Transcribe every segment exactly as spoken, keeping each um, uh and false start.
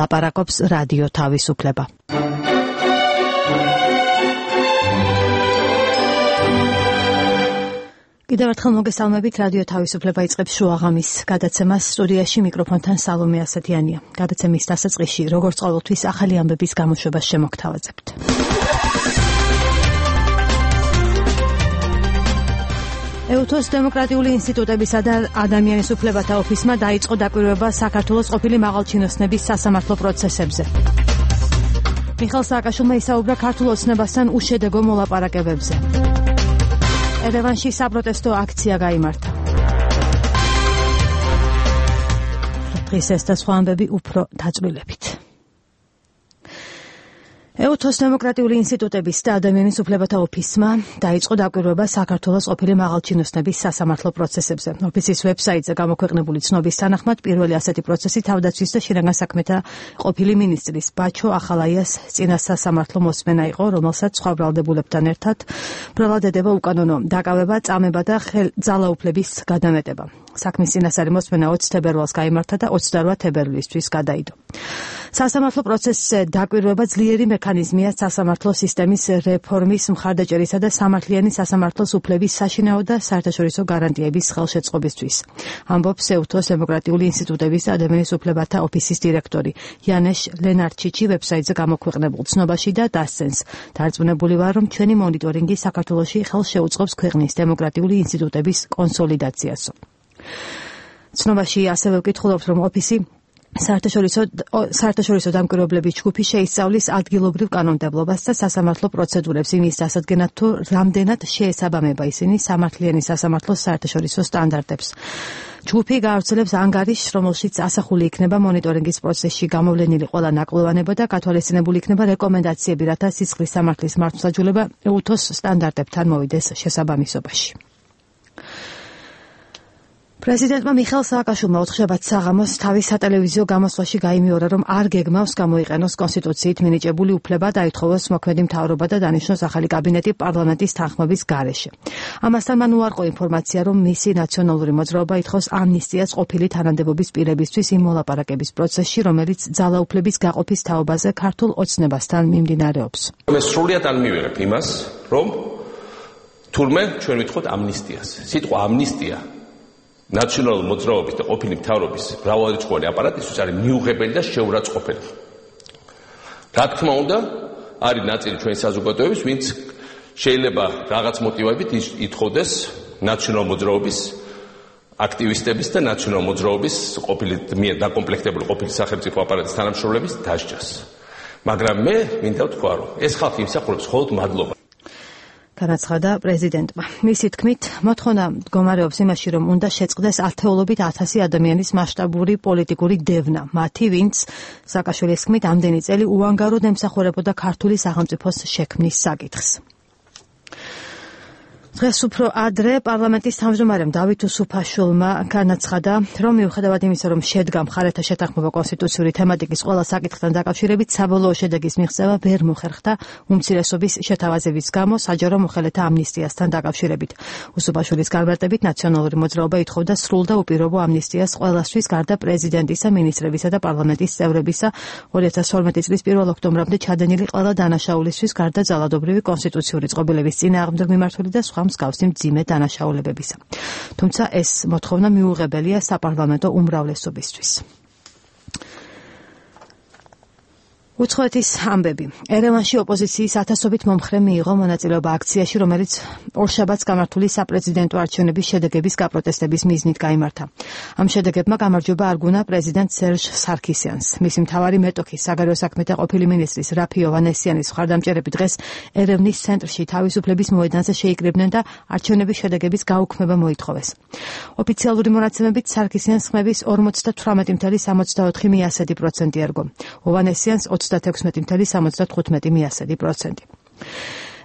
ლაპარაკობს რადიო თავისუფლება. კიდევ ერთხელ მოგესალმებით, რადიო თავისუფლება იწყებს შუაღამის გადაცემას. სტუდიაში მიკროფონთან სალომე ასათიანია. გადაცემის დასაწყისში, როგორც ყოველთვის, ახალი ამბების გამოშვებას შემოგთავაზებთ. ეუთოს დემოკრატიული ინსტიტუტებისა და ადამიანის უფლებათა ოფისმა დაიწყო დაკვირვება საქართველოს ყოფილი მაღალჩინოსნების სასამართლო პროცესებზე. მიხეილ სააკაშვილმა ისაუბრა ქართულ ოცნებასთან უშედეგო მოლაპარაკებებზე. ერევანში საპროტესტო აქცია გაიმართა. დღეს ეს და სხვა ამბები უფრო დაწვრილებით. ეუთოს დემოკრატიული ინსტიტუტების და ადამიანის უფლებათა ოფისმა დაიწყო დაკვირვება საქართველოს ყოფილი მაღალჩინოსნების სასამართლო პროცესებზე. ოფისის ვებსაიტზე გამოქვეყნებული ცნობის თანახმად პირველი ასეთი პროცესი თავდაცვის და შინაგან საქმეთა ყოფილი მინისტრის ბაჩო ახალაიას წინა სასამართლო მოსმენა იყო, რომელსაც სხვა ბრალდებულებთან ერთად ბრალად ედება უკანონო დაკავება, წამება და ძალაუფლების გადამეტება. საქმის წინასწარი მოსმენა ოცი თებერვალს გაიმართა და ოცდაორ თებერვლისთვის გადაიდო. სასამართლო პროცესზე დაკვირვება ძლიერი მექანიზმია სასამართლო სისტემის რეფორმის მხარდაჭერისა და სამართლიანი სასამართლოს უფლების საშინაო და საერთაშორისო გარანტიების ხელშეწყობისთვის. ამბობს ეუთოს დემოკრატიული ინსტიტუტების და ადამიანის უფლებათა ოფისის დირექტორი იანეშ ლენარჩიჩი ვებსაიტზე გამოქვეყნებულ ცნობაში და დასცენს. დარწმუნებული ვარ, რომ ჩვენი მონიტორინგი საქართველოში ხელს შეუწყობს ქვეყნის დემოკრატიული ინსტიტუტების კონსოლიდაციასო. ცნობაში ასევე ვკითხულობთ, რომ ოფისი საერთაშორისო საერთაშორისო დამკვირვებლების ჯგუფი შეისწავლის ადგილობრივ კანონმდებლობას და სასამართლო პროცედურებს იმის დასადგენად, თუ რამდენად შეესაბამება ისინი სამართლიანი სასამართლოს საერთაშორისო სტანდარტებს. ჯგუფი გაავრცელებს ანგარიშს, რომელშიც ასახული იქნება მონიტორინგის პროცესში გამოვლენილი ყველა ნაკლოვანება და გათვალისწინებული იქნება რეკომენდაციები, რათა სისხლის სამართლის მართლმსაჯულება ეუთოს სტანდარტებთან მოვიდეს შესაბამისობაში. პრეზიდენტმა მიხეილ სააკაშვილმა ოთხშაბათ საღამოს თავის სატელევიზიო გამოსვლაში გაიმეორა, რომ არ გეგმავს გამოიყენოს კონსტიტუციით მინიჭებული უფლება და აითხოვოს მოქმედი მთავრობა და დანიშნოს ახალი კაბინეტი პარლამენტის თანხმობის გარეშე. ამასთან მან უარყო ინფორმაცია, რომ მისი ნაციონალური მოძრაობა ითხოვს ამნისტიას ყოფილი თანამდებობის პირებისთვის იმ მოლაპარაკების პროცესში, რომელიც ძალაუფლების გაყოფის თაობაზე ქართულ ოცნებასთან მიმდინარეობს. მე სრულად არ მივიღებ იმას, რომ თურმე ჩვენ ვითხოვთ ამნისტიას. სიტყვა ამნისტია ნაციონალური მოძრაობის და ყოფილი მთავრობის მრავალრიცხოვანი აპარატისთვის არის მიუღებელი და შეურაცხყოფელი. რა თქმა უნდა, არის ნაწილი ჩვენი საზოგადოების, ვინც შეიძლება რაღაც მოტივებით ითხოვდეს ნაციონალური მოძრაობის აქტივისტების და ნაციონალური მოძრაობის ყოფილი მიერ დაკომპლექტებული ყოფილი სახელმწიფო აპარატის თანამშრომლების დასჯას. მაგრამ მე მინდა ვთქვა, რომ ეს ხალხი იმსახურებს მხოლოდ მადლობა. განაცხადა პრეზიდენტმა. მისი თქმით, მოთხოვნა მდგომარეობს იმაში, რომ უნდა შეწყდეს ათეულობით ათასი ადამიანის მასშტაბური პოლიტიკური დევნა, მათი, ვინც სააკაშვილის თქმით, ამდენი წელი უანგაროდ ემსახურებოდა ქართული სახელმწიფოს შექმნის საკითხს. დღეს უფრო ადრე პარლამენტის თავმჯდომარემ დავით უსუფაშვილმა განაცხადა, რომ მიუხედავად იმისა, რომ შედგა მხარეთა შეთანხმება კონსტიტუციური თემატიკის ყველა საკითხთან დაკავშირებით, საბოლოო შედეგის მიღწევა ვერ მოხერხდა უმცირესობის შეთავაზების გამო საჯარო მოხელეთა ამნისტიასთან დაკავშირებით. უსუფაშვილის განმარტებით, ნაციონალური მოძრაობა ითხოვდა სრულ და უპირობო ამნისტიას ყველასთვის, გარდა პრეზიდენტისა, მინისტრებისა და პარლამენტის წევრებისა, ორი ათას თორმეტი წლის პირველ ოქტომბრამდე ჩადენილი ყველა დანაშაულისთვის, გარდა ძალადობრივი კონსტიტუციური წყობილების წინააღმდეგ მიმართული და სხვა მსგავსი მძიმე დანაშაულებებისა. თუმცა ეს მოთხოვნა მიუღებელია საპარლამენტო უმრავლესობისთვის. უცხოეთის ამბები. ერევანში ოპოზიციის ათასობით მომხრე მიიღო მონაწილეობა აქციაში, რომელიც ორშაბათს გამართული საპრეზიდენტო არჩევნების შედეგების გაპროტესტების მიზნით გაიმართა. ამ შედეგებმა გამარჯვება არგუნა პრეზიდენტ სერჟ სარქისიანს. მისი მთავარი მეტოქი, საგარეო საქმეთა ყოფილი მინისტრის რაფი ოვანესიანის მხარდამჭერები დღეს ერევნის ცენტრში თავისუფლების მოედანზე შეიკრიბნენ და არჩევნების შედეგების გაუქმება მოითხოვეს. ოფიციალური მონაცემებით სარქისიანს ხმების ორმოცდათვრამეტი ფاصლე სამოცდაოთხი პროცენტი ერგო. ოვანესიანს ოცდათექვსმეტი ფاصლე სამოცდათხუთმეტი პროცენტი.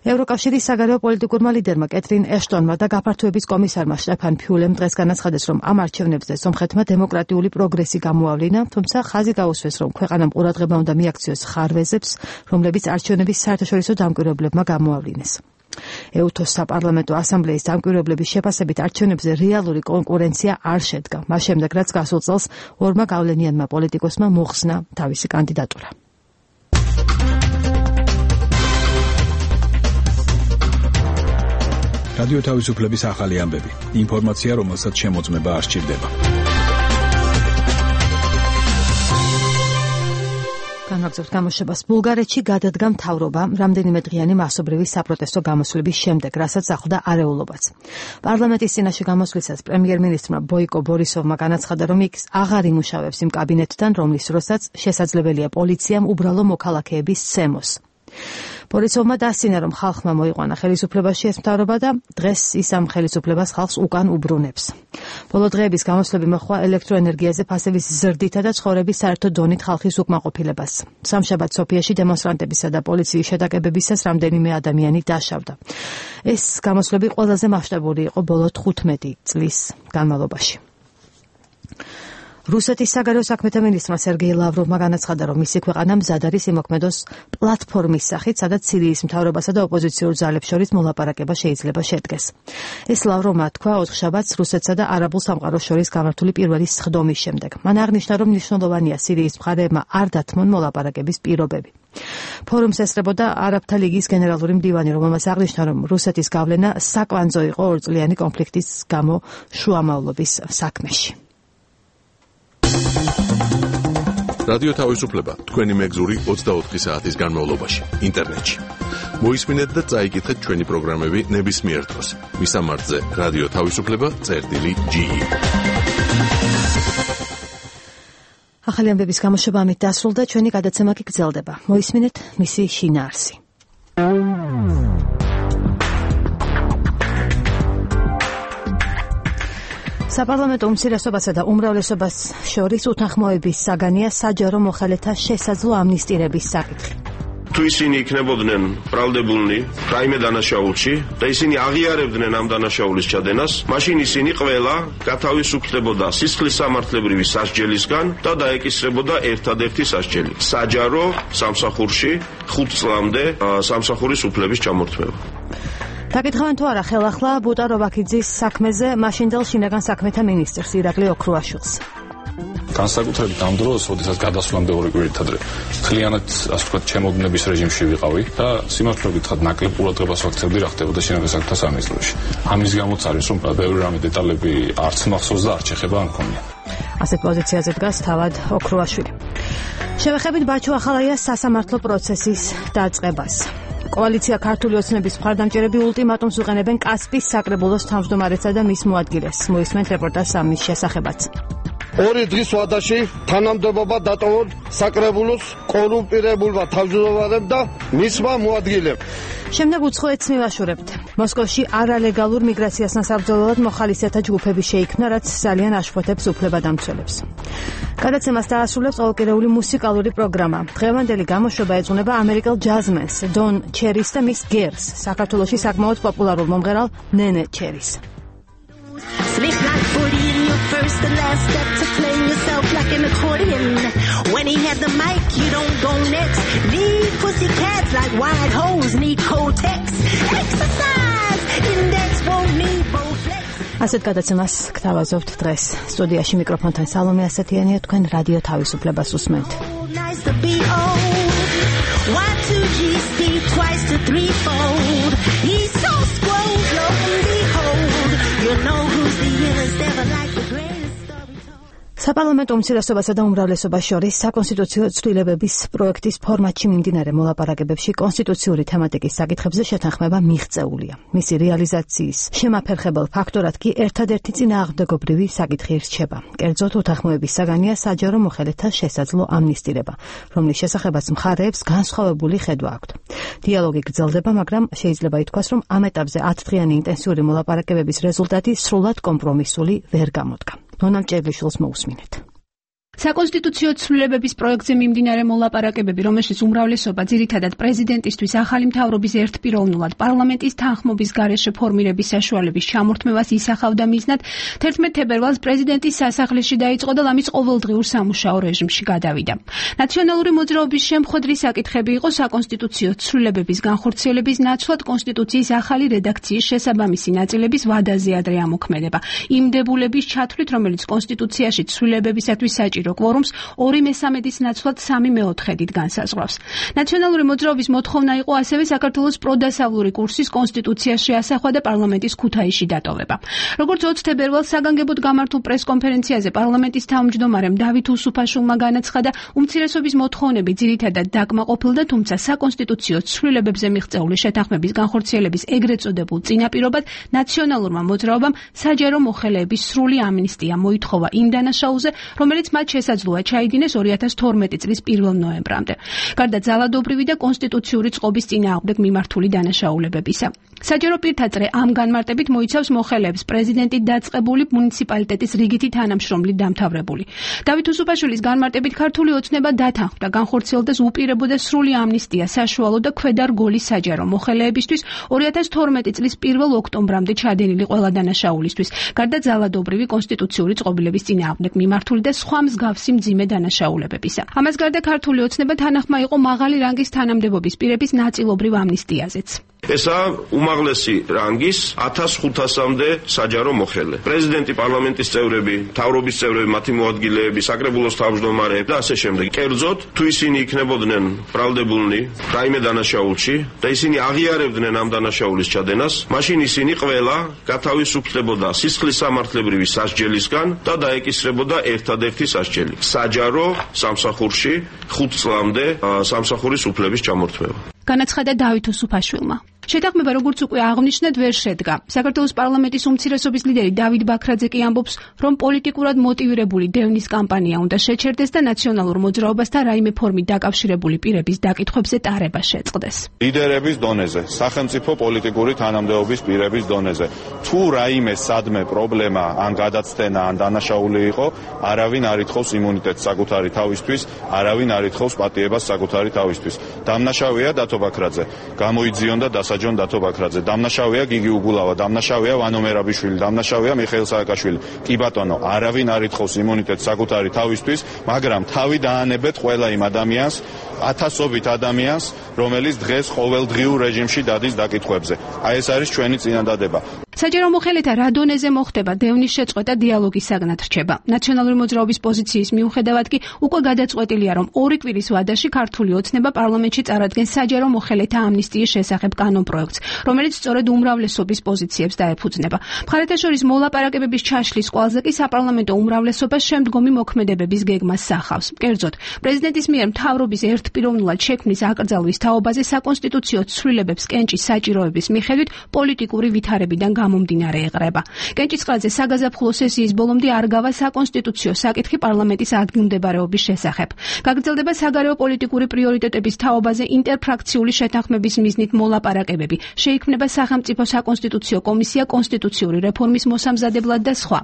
ევროკავშირის საგარეო პოლიტიკურმა ლიდერმა კეთრინ ეშტონმა და გაფართოების კომისარმა შტეფან ფიულემ დღეს განაცხადეს, რომ ამ არჩევნებზე სომხეთმა დემოკრატიული პროგრესი გამოავლინა, თუმცა ხაზი გაუსვეს, რომ ქვეყანამ ყურადღება უნდა მიაქციოს ხარვეზებს, რომლებიც არჩევნების საერთაშორისო დამკვირვებლებმა გამოავლინეს. ეუთოს საპარლამენტო ასამბლეის დამკვირვებლების შეფასებით არჩევნებზე რეალური კონკურენცია არ შედგა. მას შემდეგ, რაც გასულ წელს ორმა გავლენიანმა პოლიტიკოსმა მოხსნა თავისი კანდიდატურა. რადიო თავისუფლების ახალი ამბები. ინფორმაცია, რომელსაც შემოწმება არ სჭირდება. განვაგრძობთ გამოშვებას. ბულგარეთში გადადგა მთავრობა რამდენიმე დღიანი მასობრივი საპროტესტო გამოსვლების შემდეგ, რასაც ახლდა არეულობაც. პარლამენტის წინაშე გამოსვლისას პრემიერ-მინისტრმა ბოიკო ბორისოვმა განაცხადა, რომ იქ აღარ იმუშავებს იმ კაბინეტთან, რომლის დროსაც შესაძლებელია პოლიციამ უბრალო მოქალაქეების სცემოს. ბორისოვმა დასცინა, რომ ხალხმა მოიყვანა ხელისუფლებაში ეს მთავრობა და დღეს ის ამ ხელისუფლებას ხალხს უკან უბრუნებს. ბოლო დღეების გამოსვლები მოხდა ელექტროენერგიაზე ფასების ზრდითა და ცხოვრების საერთო დონით ხალხის უკმაყოფილებას. სამშაბათ სოფიაში დემონსტრანტებისა და პოლიციის შეტაკებებისას რამდენიმე ადამიანი დაშავდა. ეს გამოსვლები ყველაზე მასშტაბური იყო ბოლო თხუთმეტი წლის განმავლობაში. რუსეთის საგარეო საქმეთა მინისტრმა სერგეი ლავროვმა განაცხადა, რომ მისი ქვეყანა მზად არის იმოქმედოს პლატფორმის სახით, სადაც სირიის მთავრობასა და ოპოზიციურ ძალებს შორის მოლაპარაკება შეიძლება შედგეს. ეს ლავროვმა თქვა ოთხშაბათს რუსეთსა და არაბულ სამყაროს შორის გამართული პირველი სხდომის შემდეგ. მან აღნიშნა, რომ მნიშვნელოვანია სირიის მხარეებმა არ დათმონ მოლაპარაკების პირობები. ფორუმს ესწრებოდა არაბთა ლიგის გენერალური მდივანი, რომელმაც აღნიშნა, რომ რუსეთის გავლენა საკვანძო იყო ორწლიანი კონფლიქტის გამო შუამავლობის საქმეში. რადიო თავისუფლება თქვენი მეგზური ოცდაოთხი საათის განმავლობაში ინტერნეტში. მოისმინეთ და წაიკითხეთ ჩვენი პროგრამები ნებისმიერ დროს. მისამართზე რადიო თავისუფლება წერტილი ჯი ი. ახალი ამბების გამოშვება ამით დასრულდა, ჩვენი გადაცემა კი გრძელდება. მოისმინეთ მისი შინაარსი. საპარლამენტო უმცირესობასა და უმრავლესობას შორის უთანხმოების საგანია საჯარო მოხელეთა შესაძლო ამნისტირების საკითხი. თუ ისინი იქნებოდნენ ბრალდებულნი რაიმე დანაშაულში და ისინი აღიარებდნენ ამ დანაშაულის ჩადენას, მაშინ ისინი ყველა გათავისუფლებოდა სისხლის სამართლებრივი სასჯელისგან და დაეკისრებოდა ერთადერთი სასჯელი. საჯარო სამსახურში ხუთ წლამდე სამსახურის უფლების ჩამორთმევა. დაკითხავენ თუ არა ხელახლა ბუტა რობაქიძის საქმეზე მაშინდელ შინაგან საქმეთა მინისტრს ირაკლი ოქრუაშვილს. განსაკუთრებით ამ დროს, როდესაც გადასვლამდე ორი კვირით ადრე მთლიანად, ასე ვთქვათ, ჩემოდნების რეჟიმში ვიყავი და სიმართლე გითხრათ, ნაკლებ ყურადღებას ვაქცევდი რა ხდებოდა შინაგან საქმეთა სამინისტროში. ამის გამოც არის, რომ ბევრი რამე დეტალები არც მახსოვს და არც შეხება არ მქონია. ასეთ პოზიციაზე დგას თავად ოქრუაშვილი. შევეხებით ბაჩო ახალაიას სასამართლო პროცესის დაწყებას. კოალიცია ქართული ოცნების მხარდამჭერები ულტიმატუმს უყენებენ კასპის საკრებულოს თავმჯდომარესა და მის მოადგილეს. მოისმენთ რეპორტაჟს ამის შესახებაც. ორი დღის ვადაში თანამდებობა დატოვონ საკრებულოს კორუმპირებულმა თავმჯდომარემ და მისმა მოადგილემ. შემდეგ უცხოეთს მივაშურებთ. მოსკოვში არალეგალურ მიგრაციასთან საბრძოლველად მოხალისეთა ჯგუფები შეიქმნა, რაც ძალიან აშფოთებს უფლებადამცველებს. გადაცემას დაასრულებს ყოველკვირეული მუსიკალური პროგრამა. დღევანდელი გამოშვება ეძღვნება ამერიკელ ჯაზმენს დონ ჩერის და მის გერს, საქართველოში საკმაოდ პოპულარულ მომღერალ ნენე ჩერის. Slip like forty in your first and last step to playing yourself like an accordion. When he had the mic, you don't go next. Need pussy cats like wide hoes, need Kotex. Exercise, index won't need Bowflex. ასეთ გადაცემას გთავაზობთ დღეს. სტუდიაში მიკროფონთან სალომე ასათიანია, თქვენ რადიო თავისუფლებას უსმენთ. Nice to be old. Y two G C twice to threefold. He's so scrolled, lo and behold. You know who's the illest ever like the greatest story told. საპარლამენტო უმცირესობასა და უმრავლესობას შორის საკონსტიტუციო ცვლილებების პროექტის ფორმატში მიმდინარე მოლაპარაკებებში კონსტიტუციური თემატიკის საკითხებზე შეთანხმება მიღწეულია. მისი რეალიზაციის შემაფერხებელ ფაქტორად კი ერთადერთი წინააღმდეგობრივი საკითხი რჩება. კერძოდ უთანხმოების საგანია საჯარო მოხელეთა შესაძლო ამნისტირება, რომლის შესახებაც მხარეებს განსხვავებული ხედვა აქვთ. დიალოგი გრძელდება, მაგრამ შეიძლება ითქვას, რომ ამ ეტაპზე ათდღიანი ინტენსიური მოლაპარაკებების რეზულტატი სრულად კომპრომისული ვერ გამოდგა. ნონა მჭერლიშვილს მოусმინეთ. საკონსტიტუციო ცვლილებების პროექტზე მიმდინარე მოლაპარაკებები, რომელშიც უმრავლესობა ძირითადად პრეზიდენტისთვის ახალი მთავრობის ერთპიროვნულად პარლამენტის თანხმობის გარეშე ფორმირების საშუალების ჩამორთმევას ისახავდა მიზნად, თერთმეტ თებერვალს პრეზიდენტის სასახლეში დაიწყო და ლამის ყოველდღიურ სამუშაო რეჟიმში გადავიდა. ნაციონალური მოძრაობის შემხვედრი საკითხები იყო საკონსტიტუციო ცვლილებების განხორციელების ნაცვლად კონსტიტუციის ახალი რედაქციის შესაბამისი ნაწილების ვადაზე ადრე ამოქმედება. იმ დებულების ჩათვლით, რომელიც კონსტიტუციაში ცვლილებებისათვის საჭირო კვორუმს ორი მესამედის ნაცვლად სამი მეოთხედით განსაზღვრავს. ნაციონალური მოძრაობის მოთხოვნა იყო ასევე საქართველოს პროდასავლური კურსის კონსტიტუციაში ასახვა და პარლამენტის ქუთაისში დატოვება. როგორც ოცი თებერვალს საგანგებოდ გამართულ პრესკონფერენციაზე პარლამენტის თავმჯდომარემ დავით უსუფაშვილმა განაცხადა, უმცირესობის მოთხოვნები ძირითადად დაკმაყოფილდა, თუმცა საკონსტიტუციო ცვლილებებზე მიღწეული შეთანხმების განხორციელების ეგრეთ წოდებულ წინაპირობად ნაციონალურმა მოძრაობამ საჯარო მოხელეების სრული ამნისტია მოითხოვა იმ დანაშაულზე, რომელიც მათ შესაძლოა ჩაიდინეს ორი ათას თორმეტი წლის პირველ ნოემბრამდე. გარდა ძალადობრივი და კონსტიტუციური წყობის წინააღმდეგ მიმართული დანაშაულებებისა. საჯარო პირთაწრე ამ განმარტებით მოიცავს მოხელეებს პრეზიდენტით დაწყებული მუნიციპალიტეტის რიგითი თანამშრომლით დამთავრებული. დავით უსუფაშვილის განმარტებით ქართული ოცნება დათანხმდა, განხორციელდეს უპირებო და სრული ამნისტია საშუალო და ქვედარგოლის საჯარო მოხელეებისთვის ორი ათას თორმეტი წლის პირველ ოქტომბრამდე ჩადენილი ყველა დანაშაულისთვის, გარდა ძალადობრივი კონსტიტუციური წყობილების წინააღმდეგ მიმართული და სხვა მსგავსი მძიმე დანაშაულებებისა. ამას გარდა ქართული ოცნება თანახმა იყო მაღალი რანგის თანამდებობის პირების ნაწილობრივ ამნისტიაზეც. ესა უმაღლესი რანგის ათას ხუთასამდე საჯარო მოხელე. პრეზიდენტი, პარლამენტის წევრები, მთავრობის წევრები, მათი მოადგილეები, საკრებულოს თავმჯდომარეები და ასე შემდეგ. კერძოდ, თუ ისინი იქნებოდნენ ბრალდებულნი რაიმე დანაშაულში და ისინი აღიარებდნენ ამ დანაშაულის ჩადენას, მაშინ ისინი ყველა გათავისუფლებოდა სისხლის სამართლებრივი სასჯელისგან და დაეკისრებოდა ერთადერთი სასჯელი. საჯარო სამსახურში ხუთ წლამდე სამსახურის უფლების ჩამორთმევა. განაცხადა დავით უსუფაშვილმა. შეთანხმება, როგორც უკვე აღნიშნეთ, ვერ შედგა. საქართველოს პარლამენტის უმცირესობის ლიდერი დავით ბაქრაძე კი ამბობს, რომ პოლიტიკურად მოტივირებული დევნის კამპანია უნდა შეჩერდეს და ნაციონალურ მოძრაობასთან რაიმე ფორმით დაკავშირებული პირების დაკითხვებზე ტარება შეწყდეს. ლიდერების დონეზე, სახელმწიფო პოლიტიკური თანამდებობის პირების დონეზე. თუ რაიმე სადმე პრობლემა, ან გადაცდენა, ან დანაშაული იყო, არავინ არ ითხოვს იმუნიტეტს საკუთარი თავისთვის, არავინ არ ითხოვს პატიებას საკუთარი თავისთვის. დამნაშავეა დათო ბაქრაძე. გამოიძიონდა დასა ჯონ დათო ბაქრაძე, დამნაშავეა გიგი უგულავა, დამნაშავეა ვანო მერაბიშვილი, დამნაშავეა მიხეილ სააკაშვილი. კი ბატონო, არავინ არ ითხოვს იმუნიტეტს საკუთარი თავისთვის, მაგრამ თავი დაანებეთ ყველა იმ ადამიანს, ათასობით ადამიანს, რომელიც დღეს ყოველდღიურ რეჟიმში დადის დაკითხვებზე. აი ეს არის ჩვენი წინადადება. საჯარო მოხელეთა რა დონეზე მოხდება დევნის შეწყვეტა დიალოგის საგნად რჩება. ნაციონალური მოძრაობის პოზიციის მიუხედავად კი უკვე გადაწყვეტილია, რომ ორი კვირის ვადაში ქართული ოცნება პარლამენტში წარადგენს საჯარო მოხელეთა ამნისტიის შესახებ კანონპროექტს, რომელიც სწორედ უმრავლესობის პოზიციებს დაეფუძნება. მხარეთა შორის მოლაპარაკებების ჩაშლის კვალზე კი საპარლამენტო უმრავლესობა შემდგომი მოქმედებების გეგმას სახავს. კერძოდ, პრეზიდენტის მიერ მთავრობის ერთპიროვნულად შექმნის აკრძალვის თაობაზე საკონსტიტუციო ცვლილებებს კენჭის საჭიროების მიხედვით პოლიტიკური ვითარებიდან გამომდინარე ეყრება. კენჭისყრაზე საგაზაფხულო სესიის ბოლომდე არ გავა საკონსტიტუციო საკითხი პარლამენტის ადგილმდებარეობის შესახებ. გაგრძელდება საგარეო პოლიტიკური პრიორიტეტების თაობაზე ინტერფრაქციული შეთანხმების მიზნით მოლაპარაკებები. შეიქმნება სახელმწიფო საკონსტიტუციო კომისია კონსტიტუციური რეფორმის მოსამზადებლად და სხვა.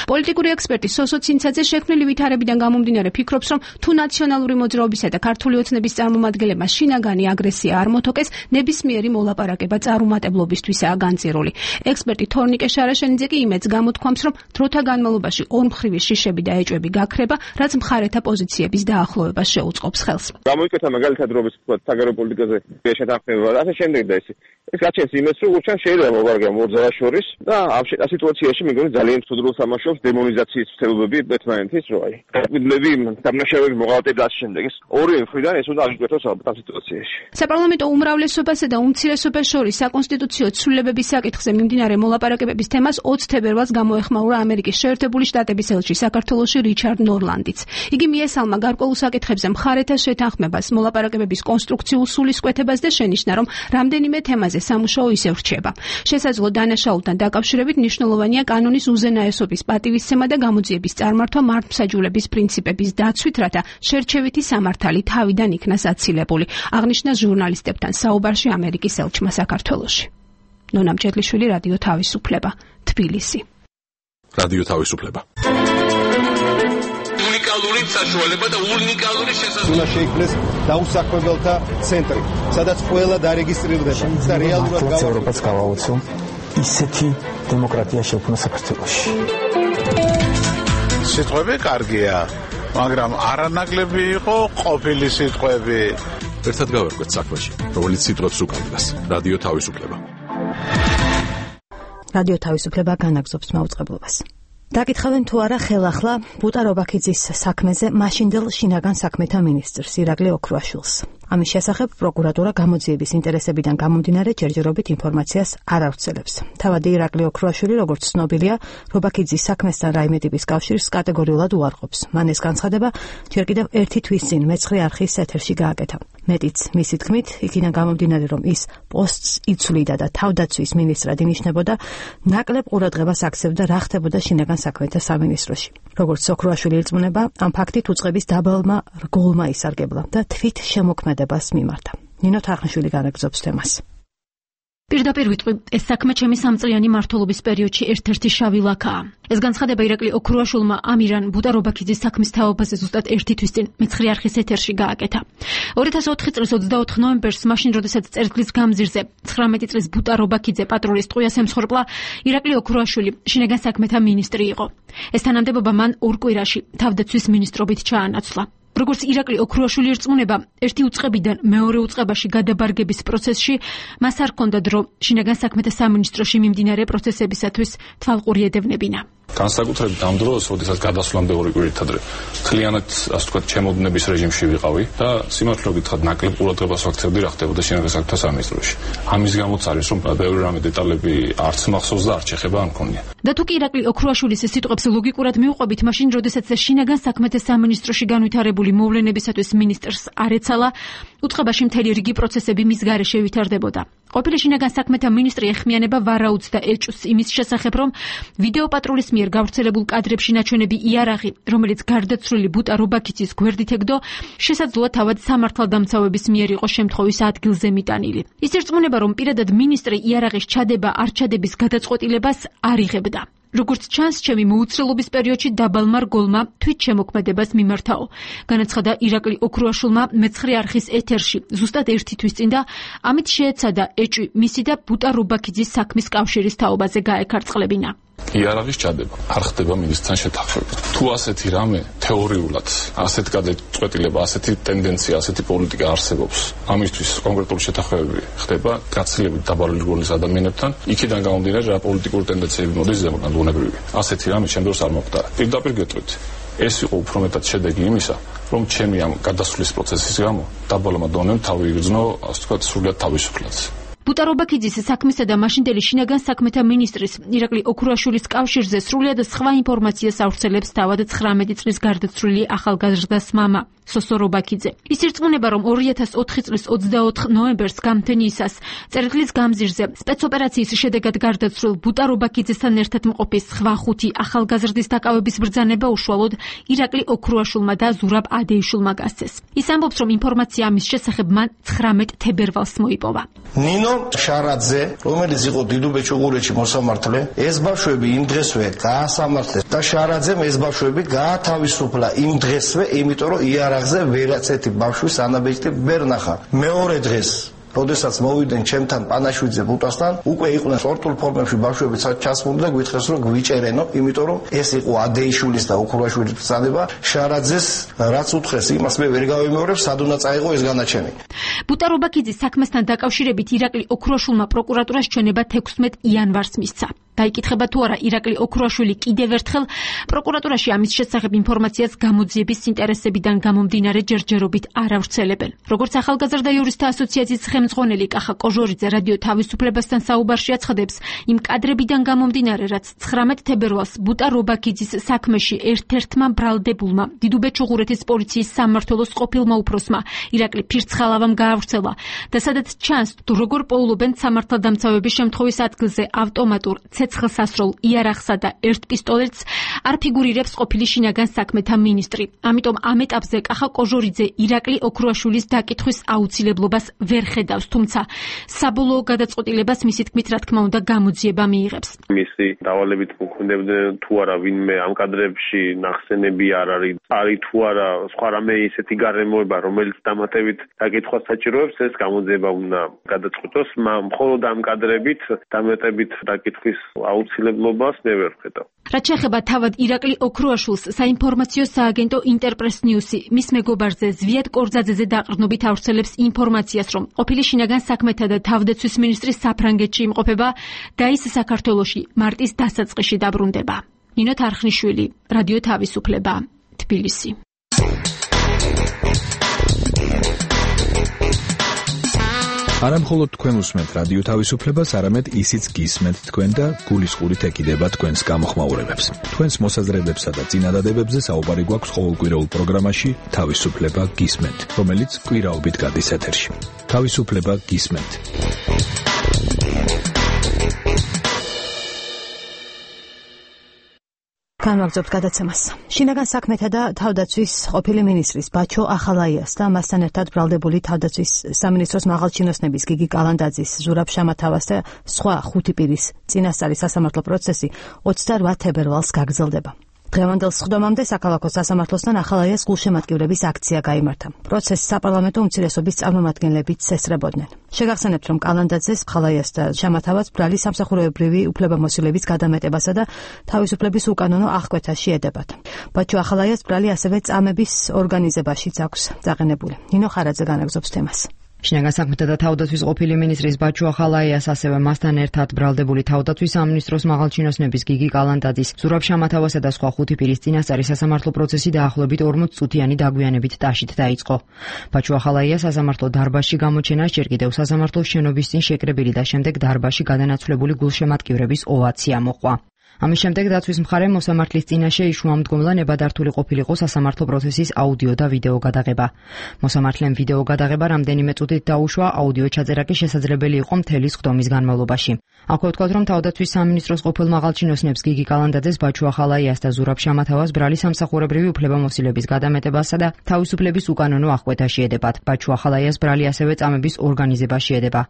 პოლიტიკური ექსპერტი სოსო ცინცაძე შექმნილი ვითარებიდან გამომდინარე ფიქრობს, რომ თუ ნაციონალური მოძრაობისა და ქართული ოცნების წარმომადგენლებმა შინაგანი აგრესია არ მოთოკეს, ნებისმიერი მოლაპარაკება წარუმატებლობისთვისაა განწირული. ექსპერტი თორნიკე შარაშენიძე კი იმედს გამოთქვამს, რომ დროთა განმავლობაში ორმხრივი შიშები და ეჭვები გაქრება, რაც მხარეთა პოზიციების დაახლოვებას შეუწყობს ხელს. გამოიკეთა მაგალითად რობის საგარეო პოლიტიკაზე შეთანხმება და ასე შემდეგ და ესე. ეს გაჩენს იმას, რომ უჩვენ შეიძლება მოვარგა მოძრაობა შორის და ამ სიტუაციაში მეგონი ძალიან ცუდრულ თამაშობს დემონიზაციის ცდილობები ერთმანეთის რო აი. გაკვირვები დამნაშავეების მოღალატე და ასე შემდეგ. ეს ორი მხრიდან ეს უნდა აღიკვეთოს ალბათ ამ სიტუაციაში. საპარლამენტო უმრავლესობასა და უმცირესობას შორის საკონსტიტუციო ცვლილებების საკითხზე მიმდინარე მოლაპარაკებების თემას ოცი თებერვალს გამოეხმაურა ამერიკის შეერთებული შტატების ელჩი საქართველოში რიჩარდ ნორლანდიც. იგი მიესალმა გარკვეულ საკითხებზე მხარეთა შეთანხმებას, მოლაპარაკებების კონსტრუქციულ სულისკვეთებას და შენიშნა, რომ რამდენიმე თემაზე სამუშაო ისევ რჩება. შესაძლო დანაშაულთან დაკავშირებით მნიშვნელოვანია კანონის უზენაესობის პატივისცემა და გამოძიების წარმართვა მართლმსაჯულების პრინციპების დაცვით, რათა შერჩევითი სამართალი თავიდან იქნას აცილებული, აღნიშნა ჟურნალისტებთან საუბარში ამერიკის ელჩმა საქართველოში. ნონა მჭედლიშვილი, რადიო თავისუფლება, თბილისი. რადიო თავისუფლება. უნიკალური საშუალება და უნიკალური შესაძლებლობა. უნდა შეიქმნეს დაუსაქმებელთა ცენტრი, სადაც ყველა დარეგისტრირდება და რეალურად ევროპას გავაუწევ ისეთი დემოკრატია შექმნა საქართველოში. სიტყვები კარგია, მაგრამ არანაკლები იყო ყოფილი სიტყვები. ერთად გავერკვეთ საქმეში, რომელიც სიტყვებს უკავშირდება. რადიო თავისუფლება. რადიო თავისუფლება განაგზობს მაუწყებლობას. დაკითხავენ თუ არა ხელახლა ბუტა რობაქიძის საქმეზე მაშინდელ შინაგან საქმეთა მინისტრს ირაკლი ოქრუაშვილს. ამის შესახებ პროკურატურა გამოძიების ინტერესებიდან გამომდინარე ჯერჯერობით ინფორმაციას არ ავრცელებს. თავადი ირაკლი ოქრუაშვილი, როგორც ცნობილია, რობაქიძის საქმესთან რაიმე ტიპის კავშირს კატეგორიულად უარყოფს. მან ეს განცხადება ჯერ კიდევ ერთი თვის წინ მეცხრე არხის ეთერში გააკეთა. მეტიც, მისი თქმით, იქიდან გამომდინარე, რომ ის პოსტს იცვლიდა და თავდაცვის მინისტრად ინიშნებოდა, ნაკლებ ყურადღებას აქცევდა რა ხდებოდა შინაგან საქმეთა სამინისტროში. როგორც ოქრუაშვილი ირწმუნება, ამ ფაქტით უწყების დაბალმა რგოლმა ისარგებლა და თვით შემოქმედებას მიმართა. ნინო თარხნიშვილი განაგზობს თემას. პირდაპირ ვიტყვი, ეს საქმე ჩემი სამწლიანი მმართველობის პერიოდში ერთ-ერთი შავი ლაქაა. ეს განცხადება ირაკლი ოქრუაშვილმა ამირან ბუტა რობაქიძის საქმის თაობაზე ზუსტად ერთი თვის წინ მეცხრე არხის ეთერში გააკეთა. ორი ათას ოთხი წლის ოცდაოთხ ნოემბერს, მაშინ როდესაც წერტილის გამზირზე ცხრამეტი წლის ბუტა რობაქიძე პატრულის ტყუიას ემსხვერპლა, ირაკლი ოქრუაშვილი შინაგან საქმეთა მინისტრი იყო. ეს თანამდებობა მან ორ კვირაში თავდაცვის მინისტრობით ჩაანაცვლა. როგორც ირაკლი ოქრუაშვილი ირწმუნება, ერთი უწყებიდან მეორე უწყებაში გადაბარგების პროცესში მას არ ჰქონდა დრო შინაგან საქმეთა სამინისტროში მიმდინარე პროცესებისათვის თვალყური ედევნებინა. განსაკუთრებით ამ დროს, როდესაც გადასვლამდე ორი კვირით ადრე მთლიანად, ასე ვთქვათ, ჩემოდნების რეჟიმში ვიყავი და სიმართლე გითხრათ, ნაკლებ ყურადღებას ვაქცევდი რა ხდებოდა შინაგან საქმეთა სამინისტროში. ამის გამოც არის, რომ ბევრი რამე დეტალები არც მახსოვს და არც შეხება არ მქონია. და თუ კი ირაკლი ოქრუაშვილის სიტყვებს ლოგიკურად მივყვებით, მაშინ როდესაც შინაგან საქმეთა სამინისტროში განვითარებული მოვლენებისათვის მინისტრს არ ეცალა, უწყებაში მთელი რიგი პროცესები მის გარეშე ვითარდებოდა. ყოფილი შინაგან საქმეთა მინისტრი ეხმიანება ვარაუდს და ეჭვს იმის შესახებ, რომ ვიდეო პატრულის მიერ გავრცელებულ კადრებში ნაჩვენები იარაღი, რომელიც გარდაცვლილი ბუტა რობაქიძის გვერდით ეგდო, შესაძლოა თავად სამართალდამცავების მიერ იყო შემთხვევის ადგილზე მიტანილი. ის ირწმუნება, რომ პირადად მინისტრი იარაღის ჩადება არ ჩადების გადაწყვეტილებას არ იღებდა. როგორც ჩანს, ჩემი მოუცხრელობის პერიოდში დაბალმა რგოლმა თვით შემოქმედებას მიმართაო. განაცხადა ირაკლი ოქრუაშვილმა მეცხრე არხის ეთერში ზუსტად ერთი თვის წინ და ამით შეეცადა ეჭვი მისი და ბუტა რობაქიძის საქმის კავშირის თაობაზე გაეკარწყლებინა. იარაღის ჩადება არ ხდება მინისტრთან შეთანხმებით. თუ ასეთი რამე თეორიულად, ასეთ გადაწყვეტილება, ასეთი ტენდენცია, ასეთი პოლიტიკა არსებობს, ამისთვის კონკრეტული შეთანხმებები ხდება გაცილებით დაბალი რგოლის ადამიანებთან, იქიდან გამომდინარე რა პოლიტიკური ტენდენციები მოდის ზემოდან ბუნებრივი. ასეთი რამე ჩემ დროს არ მოხდა. პირდაპირ გეტყვით, ეს იყო უფრო მეტად შედეგი იმისა, რომ ჩემი ამ გადასვლის პროცესის გამო დაბალმა დონემ თავი იგრძნო, ასე ვთქვათ, სრულად თავისუფლად. ბუტა რობაქიძის საქმესა და მაშინდელი შინაგან საქმეთა მინისტრის ირაკლი ოქრუაშვილის კავშირზე სრულად სხვა ინფორმაციას ავრცელებს თავად ცხრამეტი წლის გარდაცვლილი ახალგაზრდას მამა სოსო რობაქიძე. ის ირწმუნება, რომ ორი ათას ოთხი წლის ოცდაოთხ ნოემბერს გამთენიისას წერტილის გამზირზე სპეცოპერაციის შედეგად გარდაცვლილ ბუტა რობაქიძესთან ერთად მყოფი სხვა ხუთი ახალგაზრდის დაკავების ბრძანება უშუალოდ ირაკლი ოქრუაშვილმა და ზურაბ ადეიშვილმა გასცეს. ის ამბობს, რომ ინფორმაცია ამის შესახებ მან ცხრამეტ თებერვალს მოიპოვა. ნინო შარაძე, რომელიც იყო დიდუბეჭუღურეთში მოსამართლე, ეს ბავშვები იმ დღესვე გაასამართლეს და შარაძემ ეს ბავშვები გაათავისუფლა იმ დღესვე, იმიტომ რომ იარაღზე ვერაცეთი ბავშვის ანაბეჭდი ვერ ნახა. მეორე დღეს როდესაც მოვიდნენ ჩემთან პანაშვიძე ბუტასთან, უკვე იყვნენ სპორტულ ფორმებში ბავშვები ჩასმული და გვითხრეს რომ გვიჭერენო, იმიტომ რომ ეს იყო ადეიშვილის და ოქრუაშვილის ბრძანება. შარაძეს რაც უთხრეს, იმას მე ვერ გავიმეორებ, სად უნდა წაიღო ეს განაჩენი. ბუტა რობაქიძის საქმესთან დაკავშირებით ირაკლი ოქრუაშვილმა პროკურატურას ჩვენება თექვსმეტ იანვარს მისცა. დაიკითხება თუ არა ირაკლი ოქრუაშვილი კიდევ ერთხელ პროკურატურაში ამის შესახებ ინფორმაციას გამოძიების ინტერესებიდან გამომდინარე ჯერჯერობით არ ავრცელებენ. როგორც ახალგაზრდა იურისტთა ასოციაციის ხელმძღვანელი კახა კოჟორიძე რადიო თავისუფლებასთან საუბარში აცხადებს, იმ კადრებიდან გამომდინარე, რაც ცხრამეტ თებერვალს ბუტა რობაქიძის საქმეში ერთ-ერთმა ბრალდებულმა დიდუბეჭუღურეთის პოლიციის სამმართველოს ყოფილმა უფროსმა ირაკლი ფირცხალავამ გაავრცელა და სადაც ჩანს, თუ როგორ პოულობენ სამართალდამცავების შემთხვევის ადგილზე ავტომატურ ცეცხლსასროლ იარაღსა და ერთ პისტოლეტს არ ფიგურირებს ყოფილი შინაგან საქმეთა მინისტრი. ამიტომ ამ ეტაპზე კახა კოჟორიძე ირაკლი ოქრუაშვილის დაკითხვის აუცილებლობას ვერ ხედავს. ხედავს, თუმცა საბოლოო გადაწყვეტილებას მისი თქმით, რა თქმა უნდა, გამოძიება მიიღებს. მისი დავალებით მოქმედებდნენ თუ არა ვინმე ამ კადრებში ნახსენები არ არის, არის თუ არა სხვა რამე ისეთი გარემოება, რომელიც დამატებით დაკითხვას საჭიროებს, ეს გამოძიება უნდა გადაწყვეტოს, მხოლოდ ამ კადრებით დამატებით დაკითხვის აუცილებლობას მე ვერ ვხედავ. რაც შეეხება თავად ირაკლი ოქროაშვილს, საინფორმაციო სააგენტო ინტერპრეს ნიუსი მის მეგობარზე ზვიად კორძაძეზე დაყრდნობით ავრცელებს ინფორმაციას, რომ ყოფილი შინაგან საქმეთა და თავდაცვის მინისტრის საფრანგეთში იმყოფება და ის საქართველოში მარტის დასაწყისში დაბრუნდება. ნინო თარხნიშვილი, რადიო თავისუფლება, თბილისი. არა მხოლოდ თქვენ უსმენთ რადიო თავისუფლებას, არამედ ისიც გისმენთ თქვენ და გულისყურით ეკიდება თქვენს გამოხმაურებებს. თქვენს მოსაზრებებსა და წინადადებებზე საუბარი გვაქვს ყოველკვირეულ პროგრამაში თავისუფლება გისმენთ, რომელიც კვირაობით გადის ეთერში. თავისუფლება გისმენთ. განვაგრძობთ გადაცემას. შინაგან საქმეთა და თავდაცვის ყოფილი მინისტრის ბაჩო ახალაიას და მასთან ერთად ბრალდებული თავდაცვის სამინისტროს მაღალჩინოსნების გიგი კალანდაძის, ზურაბ შამათავას და სხვა ხუთი პირის წინასწარი სასამართლო პროცესი ოცდარვა თებერვალს გაგრძელდება. დღევანდელ სხდომამდე საქალაქო სასამართლოსთან ახალაიას გულშემატკივრების აქცია გაიმართა. პროცესს საპარლამენტო უმცირესობის წარმომადგენლებიც ესწრებოდნენ. შეგახსენებთ, რომ კალანდაძეს, ახალაიას და შამათავას ბრალი სამსახურებრივი უფლებამოსილების გადამეტებასა და თავისუფლების უკანონო აღკვეთაში ედებათ. ბაჩო ახალაიას ბრალი ასევე წამების ორგანიზებაშიც აქვს დაყენებული. ნინო ხარაძე განაგზობს თემას. შინაგან საქმეთა და თავდაცვის ყოფილი მინისტრის ბაჩო ახალაიას, ასევე მასთან ერთად ბრალდებული თავდაცვის სამინისტროს მაღალჩინოსნების გიგი კალანდაძის, ზურაბ შამათავასა და სხვა ხუთი პირის წინასწარი სასამართლო პროცესი დაახლოებით ორმოც წუთიანი დაგვიანებით ტაშით დაიწყო. ბაჩო ახალაიას სასამართლო დარბაზში გამოჩენას ჯერ კიდევ სასამართლოს შენობის წინ შეკრებილი და შემდეგ დარბაზში გადანაცვლებული გულშემატკივრების ოვაცია მოყვა. ამის შემდეგ დაცვის მხარემ მოსამართლის წინაშე იშუამდგომლა ნებადართული ყოფილიყო სასამართლო პროცესის აუდიო და ვიდეო გადაღება. მოსამართლემ ვიდეო გადაღება რამდენიმე წუთით დაუშვა, აუდიო ჩაწერა კი შესაძლებელი იყო მთელი სხდომის განმავლობაში. აქვე ვთქვათ, რომ თავდაცვის სამინისტროს ყოფილ მაღალჩინოსნებს გიგი კალანდაძეს, ბაჩო ახალაიას და ზურაბ შამათავას ბრალი სამსახურებრივი უფლებამოსილების გადამეტებასა და თავისუფლების უკანონო აღკვეთაში ედებათ. ბაჩო ახალაიას ბრალი ასევე წამების ორგანიზებაში ედება.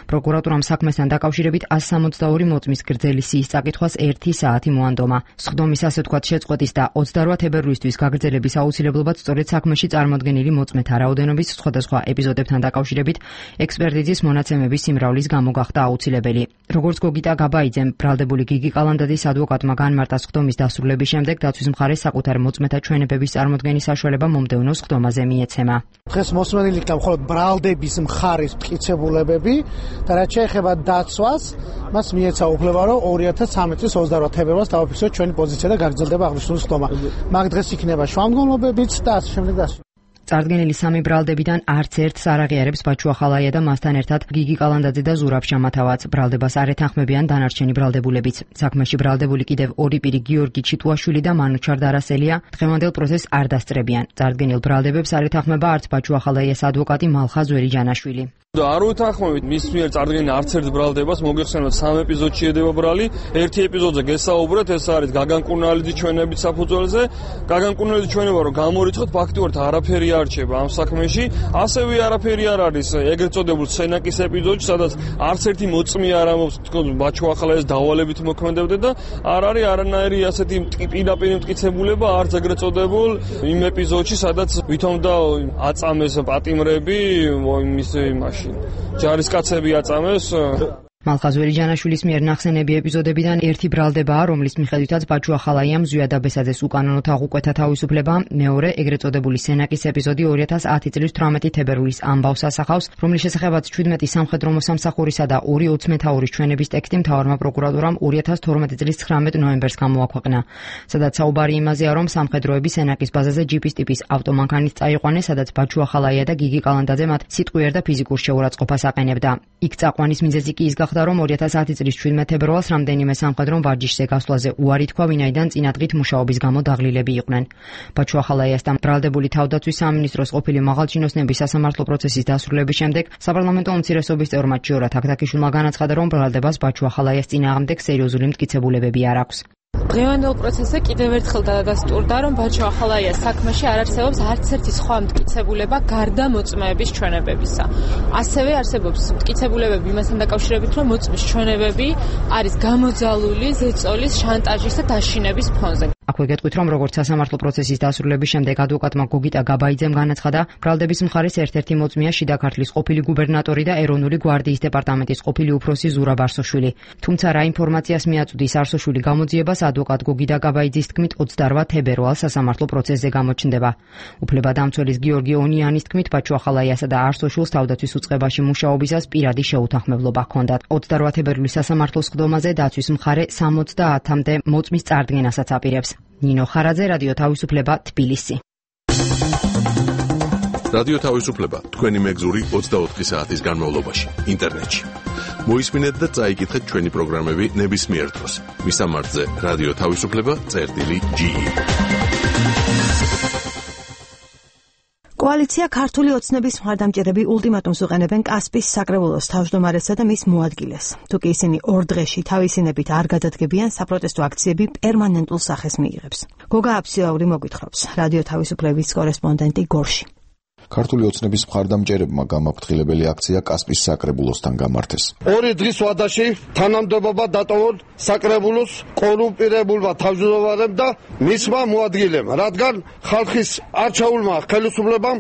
პროკურატურამ საქმესთან დაკავშირებით ას სამოცდაორი მოწმის გრძელი სიის წაკითხვას ერთი საათი მოანდომა. სხდომის ასე ვთქვათ შეწყვეტის და ოცდარვა თებერვლისთვის გაგრძელების აუცილებლობაც სწორედ საქმეში წარმოდგენილი მოწმეთა რაოდენობის სხვადასხვა ეპიზოდებთან დაკავშირებით ექსპერტიზის მონაცემების სიმრავლის გამო გახდა აუცილებელი. როგორც გოგიტა გაბაიძემ, ბრალდებული გიგი კალანდაძის ადვოკატმა განმარტა სხდომის დასრულების შემდეგ დაცვის მხარეს საკუთარი მოწმეთა ჩვენებების წარმოდგენის საშუალება მომდევნო სხდომაზე მიეცემა. დღეს მოსმენილი იქნა მხოლოდ ბრალდების მხარის მტკიცებულებები და რაც შეეხება დაცვას, მას მიეცა უფლება, რომ ორი ათას ცხრამეტი წლის ოცდარვა თებერვალს დავაფიქსოთ ჩვენი პოზიცია და გაგრძელდება აღნიშნული სხდომა. მაგ დღეს იქნება შუამდგომლობებიც და ასე შემდეგ და ასე. წარდგენილი სამი ბრალდებიდან არც ერთს არ აღიარებს ბაჩო ახალაია და მასთან ერთად გიგი კალანდაძე და ზურაბ შამათავაც. ბრალდებას არ ეთანხმებიან დანარჩენი ბრალდებულებიც. საქმეში ბრალდებული კიდევ ორი პირი, გიორგი ჩიტუაშვილი და მანუჩარ დარასელია, დღევანდელ პროცესს არ დასწრებიან. წარდგენილ ბრალდებებს არ ეთანხმება არც ბაჩო ახალაიას ადვოკატი მალხაზ ვერიჯანაშვილი. და არ უთანხმებით მის მიერ წარდგენილ არც ერთ ბრალდებას, მოგეხსენოთ სამ ეპიზოდში ედება ბრალი. ერთი ეპიზოდზე გესაუბრეთ, ეს არის გაგან კუნალიძის ჩვენების საფუძველზე. გაგან კუნალიძის ჩვენება რომ გამორიცხოთ, ფაქტიურად არაფერი არ რჩება ამ საქმეში. ასევე არაფერი არ არის ეგრეთ წოდებულ სენაკის ეპიზოდში, სადაც არც ერთი მოწმე არ ამობს, თქოს ბაჩო ახალაიას დავალებით მოქმედებდა და არ არის არანაირი ასეთი პირდაპირ მტკიცებულება არც ეგრეთ წოდებულ იმ ეპიზოდში, სადაც ვითომ და აწამეს პატიმრები იმის იმაში ჯარისკაცები აწამეს. მალხაზ ვერიჯანაშვილის მიერ ნახსენები ეპიზოდებიდან ერთი ბრალდებაა, რომლის მიხედვითაც ბაჩო ახალაიამ ზვია დაბესაძეს უკანონოდ აღუკვეთა თავისუფლება. მეორე ეგრეთ წოდებული სენაკის ეპიზოდი ორი ათას ათი წლის თვრამეტი თებერვლის ამბავს ასახავს, რომლის შესახებაც ჩვიდმეტი სამხედრო მოსამსახურისა და ორი ოცმეთაურის ჩვენების ტექსტი მთავარმა პროკურატურამ ორი ათას თორმეტი წლის ცხრამეტ ნოემბერს გამოაქვეყნა. სადაც საუბარი იმაზეა, რომ სამხედროები სენაკის ბაზაზე ჯიპის ტიპის ავტომანქანით წაიყვანეს, სადაც ბაჩო ახალაია და გიგი კალანდაძე მათ სიტყვიერ და ფიზიკურ შეურაცხყოფას აყენებდა. იქ წაყვანის მიზეზი კი ის გახდა, რომ ორი ათას ათი წლის შვიდმეტ თებერვალს რამდენიმე სამხედრომ ვარჯიშზე გასვლაზე უარი თქვა, ვინაიდან წინადღით მუშაობის გამო დაღლილები იყვნენ. ბაჩო ახალაიას და ბრალდებული თავდაცვის სამინისტროს ყოფილი მაღალჩინოსნების სასამართლო პროცესის დასრულების შემდეგ საპარლამენტო უმცირესობის წევრმა ჭიორა თაქთაქიშვილმა განაცხადა, რომ ბრალდებას ბაჩო ახალაიას წინააღმდეგ სერიოზული მტკიცებულებები არ აქვს. დღევანდელ პროცესზე კიდევ ერთხელ დადასტურდა, რომ ბაჩო ახალაიას საქმეში არ არსებობს არც ერთი სხვა მტკიცებულება გარდა მოწმეების ჩვენებებისა. ასევე არსებობს მტკიცებულებები იმასთან დაკავშირებით, რომ მოწმის ჩვენებები არის გამოძალული ზეწოლის, შანტაჟის და დაშინების ფონზე. აქვე გეტყვით, რომ როგორც სასამართლო პროცესის დასრულების შემდეგ ადვოკატმა გოგიტა გაბაიძემ განაცხადა, ბრალდების მხარის ერთ-ერთი მოწმეა შიდა ქართლის ყოფილი გუბერნატორი და ეროვნული გვარდიის დეპარტამენტის ყოფილი უფროსი ზურაბ არსოშვილი. თუმცა რა ინფორმაციას მიაწვდის არსოშვილი გამოძიებას, ადვოკატ გოგიტა გაბაიძის თქმით ოცდარვა თებერვალს სასამართლო პროცესზე გამოჩნდება. უფლებადამცველის გიორგი ონიანის თქმით, ბაჩო ახალაიასა და არსოშვილს თავდაცვის უწყებაში მუშაობისას პირადი შეუთანხმებლობა ჰქონდათ. ოცდარვა თებერვლის სასამართლოს სხდომაზე დაცვის მხარე სამოცდაათამდე მოწმის წარდგენასაც აპირებს. ნინო ხარაძე, რადიო თავისუფლება, თბილისი. რადიო თავისუფლება თქვენი მეგზური ოცდაოთხი საათის განმავლობაში ინტერნეტში. მოისმინეთ და წაიკითხეთ ჩვენი პროგრამები ნებისმიერ დროს. მისამართზე რადიო თავისუფლება წერტილი ჯი. კოალიცია ქართული ოცნების მხარდამჭერები ულტიმატუმს უყენებენ კასპის საკრებულოს თავმჯდომარესა და მის მოადგილეს. თუ კი ისინი ორ დღეში თავისინებით არ გადადგებიან, საპროტესტო აქციები პერმანენტულ სახეს მიიღებს. გოგა აფსიაური მოგვითხრობს, რადიო თავისუფლების კორესპონდენტი გორში. ქართული ოცნების მხარდამჭერებმა გამაფრთხილებელი აქცია კასპის საკრებულოსთან გამართეს. ორი დღის ვადაში თანამდებობა დატოვონ საკრებულოს კორუმპირებულმა თავმჯდომარემ და მისმა მოადგილემ, რადგან ხალხის არჩეულმა ხელისუფლებამ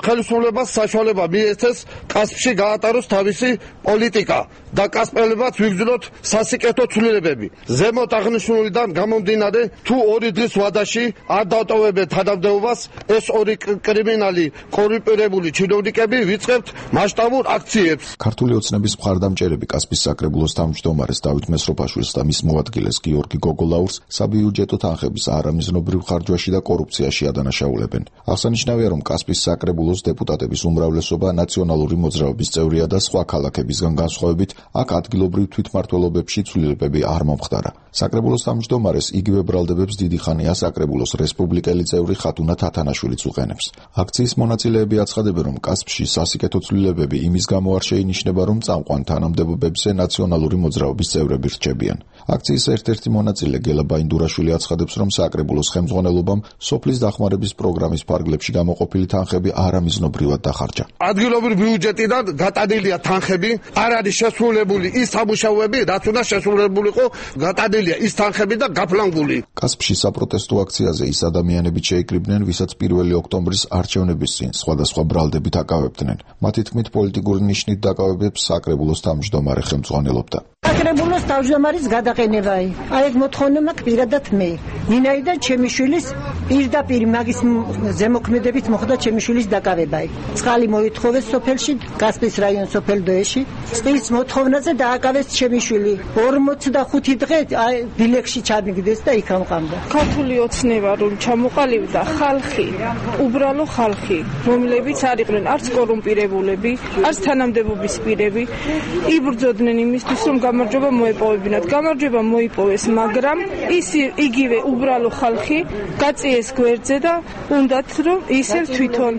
ხელისუფლებას საშუალება მიეცეს კასპში გაატაროს თავისი პოლიტიკა და კასპელებად ვიგრძნოთ სასიკეთო ცვლილებები. ზემოთ აღნიშნულიდან გამომდინარე, თუ ორი დღის ვადაში არ დატოვებენ თანამდებობას, ეს ორი კრიმინალი კორუმპირებული ჩინოვნიკები ვიწყებთ მასშტაბურ აქციებს. ქართული ოცნების მხარდამჭერები კასპის საკრებულოს თავმჯდომარეს დავით მესროპაშვილს და მის მოადგილეს გიორგი გოგოლაურს საბიუჯეტო თანხების არამიზნობრივ ხარჯვაში და კორუფციაში ადანაშაულებენ. აღსანიშნავია, რომ კასპის საკრებულოს დეპუტატების უმრავლესობა ნაციონალური მოძრაობის წევრია და სხვა ქალაქებისგან განსხვავებით აქ ადგილობრივ თვითმმართველობებში ცვლილებები არ მომხდარა. საკრებულოს თავმჯდომარეს იგივე ბრალდებებს დიდი ხანია საკრებულოს რესპუბლიკელი წევრი ხათუნა თათანაშვილიც უყენებს. აქციის მონაწილეები აცხადებენ, რომ კასპში სასიკეთო ცვლილებები იმის გამო არ შეინიშნება, რომ წამყვან თანამდებობებზე ნაციონალური მოძრაობის წევრები რჩებიან. აქციის ერთ-ერთი მონაწილე გელა ბაინდურაშვილი აცხადებს, რომ საკრებულოს ხელმძღვანელობამ სოფლის დახმარების პროგრამის ფარგლებში გამოყოფილი თანხები არამიზნობრივად დახარჯა. ადგილობრივ ბიუჯეტიდან გატანილია თანხები, არ არის შესრულებული ის სამუშაოები, რაც უნდა შესრულებულიყო, გატანილია ის თანხები და გაფლანგული. კასპში საპროტესტო აქციაზე ის ადამიანები შეიკრიბნენ, ვისაც პირველი ოქტომბრის არჩევნების წინ სხვადასხვა ბრალდებით აკავებდნენ. მათი თქმით, პოლიტიკური ნიშნით დაკავებებს საკრებულოს თავმჯდომარე ხელმძღვანელობდა. საკრებულოს თავმჯდომარის გადაყენებაა. აი ეს მოთხოვნა მაქვს პირადად მე. ვინაიდან ჩემი შვილის პირდაპირ მაგის ზემოქმედებით მოხდა ჩემი შვილის დაკავება. წყალი მოითხოვეს სოფელში, კასპის რაიონის სოფელ დოეში. წყლის მოთხოვნაზე დააკავეს ჩემი შვილი. ორმოცდახუთი დღე დილეგში ჩამიგდეს და იქ ამყამდა. ქართული ოცნება რომ ჩამოყალიბდა ხალხი, უბრალო ხალხი, რომლებიც არ იყვნენ არც კორუმპირებულები, არც თანამდებობის პირები, იბრძოდნენ იმისთვის, რომ გამარჯვება მოეპოვებინათ. გამარჯვება მოიპოვეს, მაგრამ ის იგივე უბრალო ხალხი გაწიეს გვერდზე და უნდათ რომ ისევ თვითონ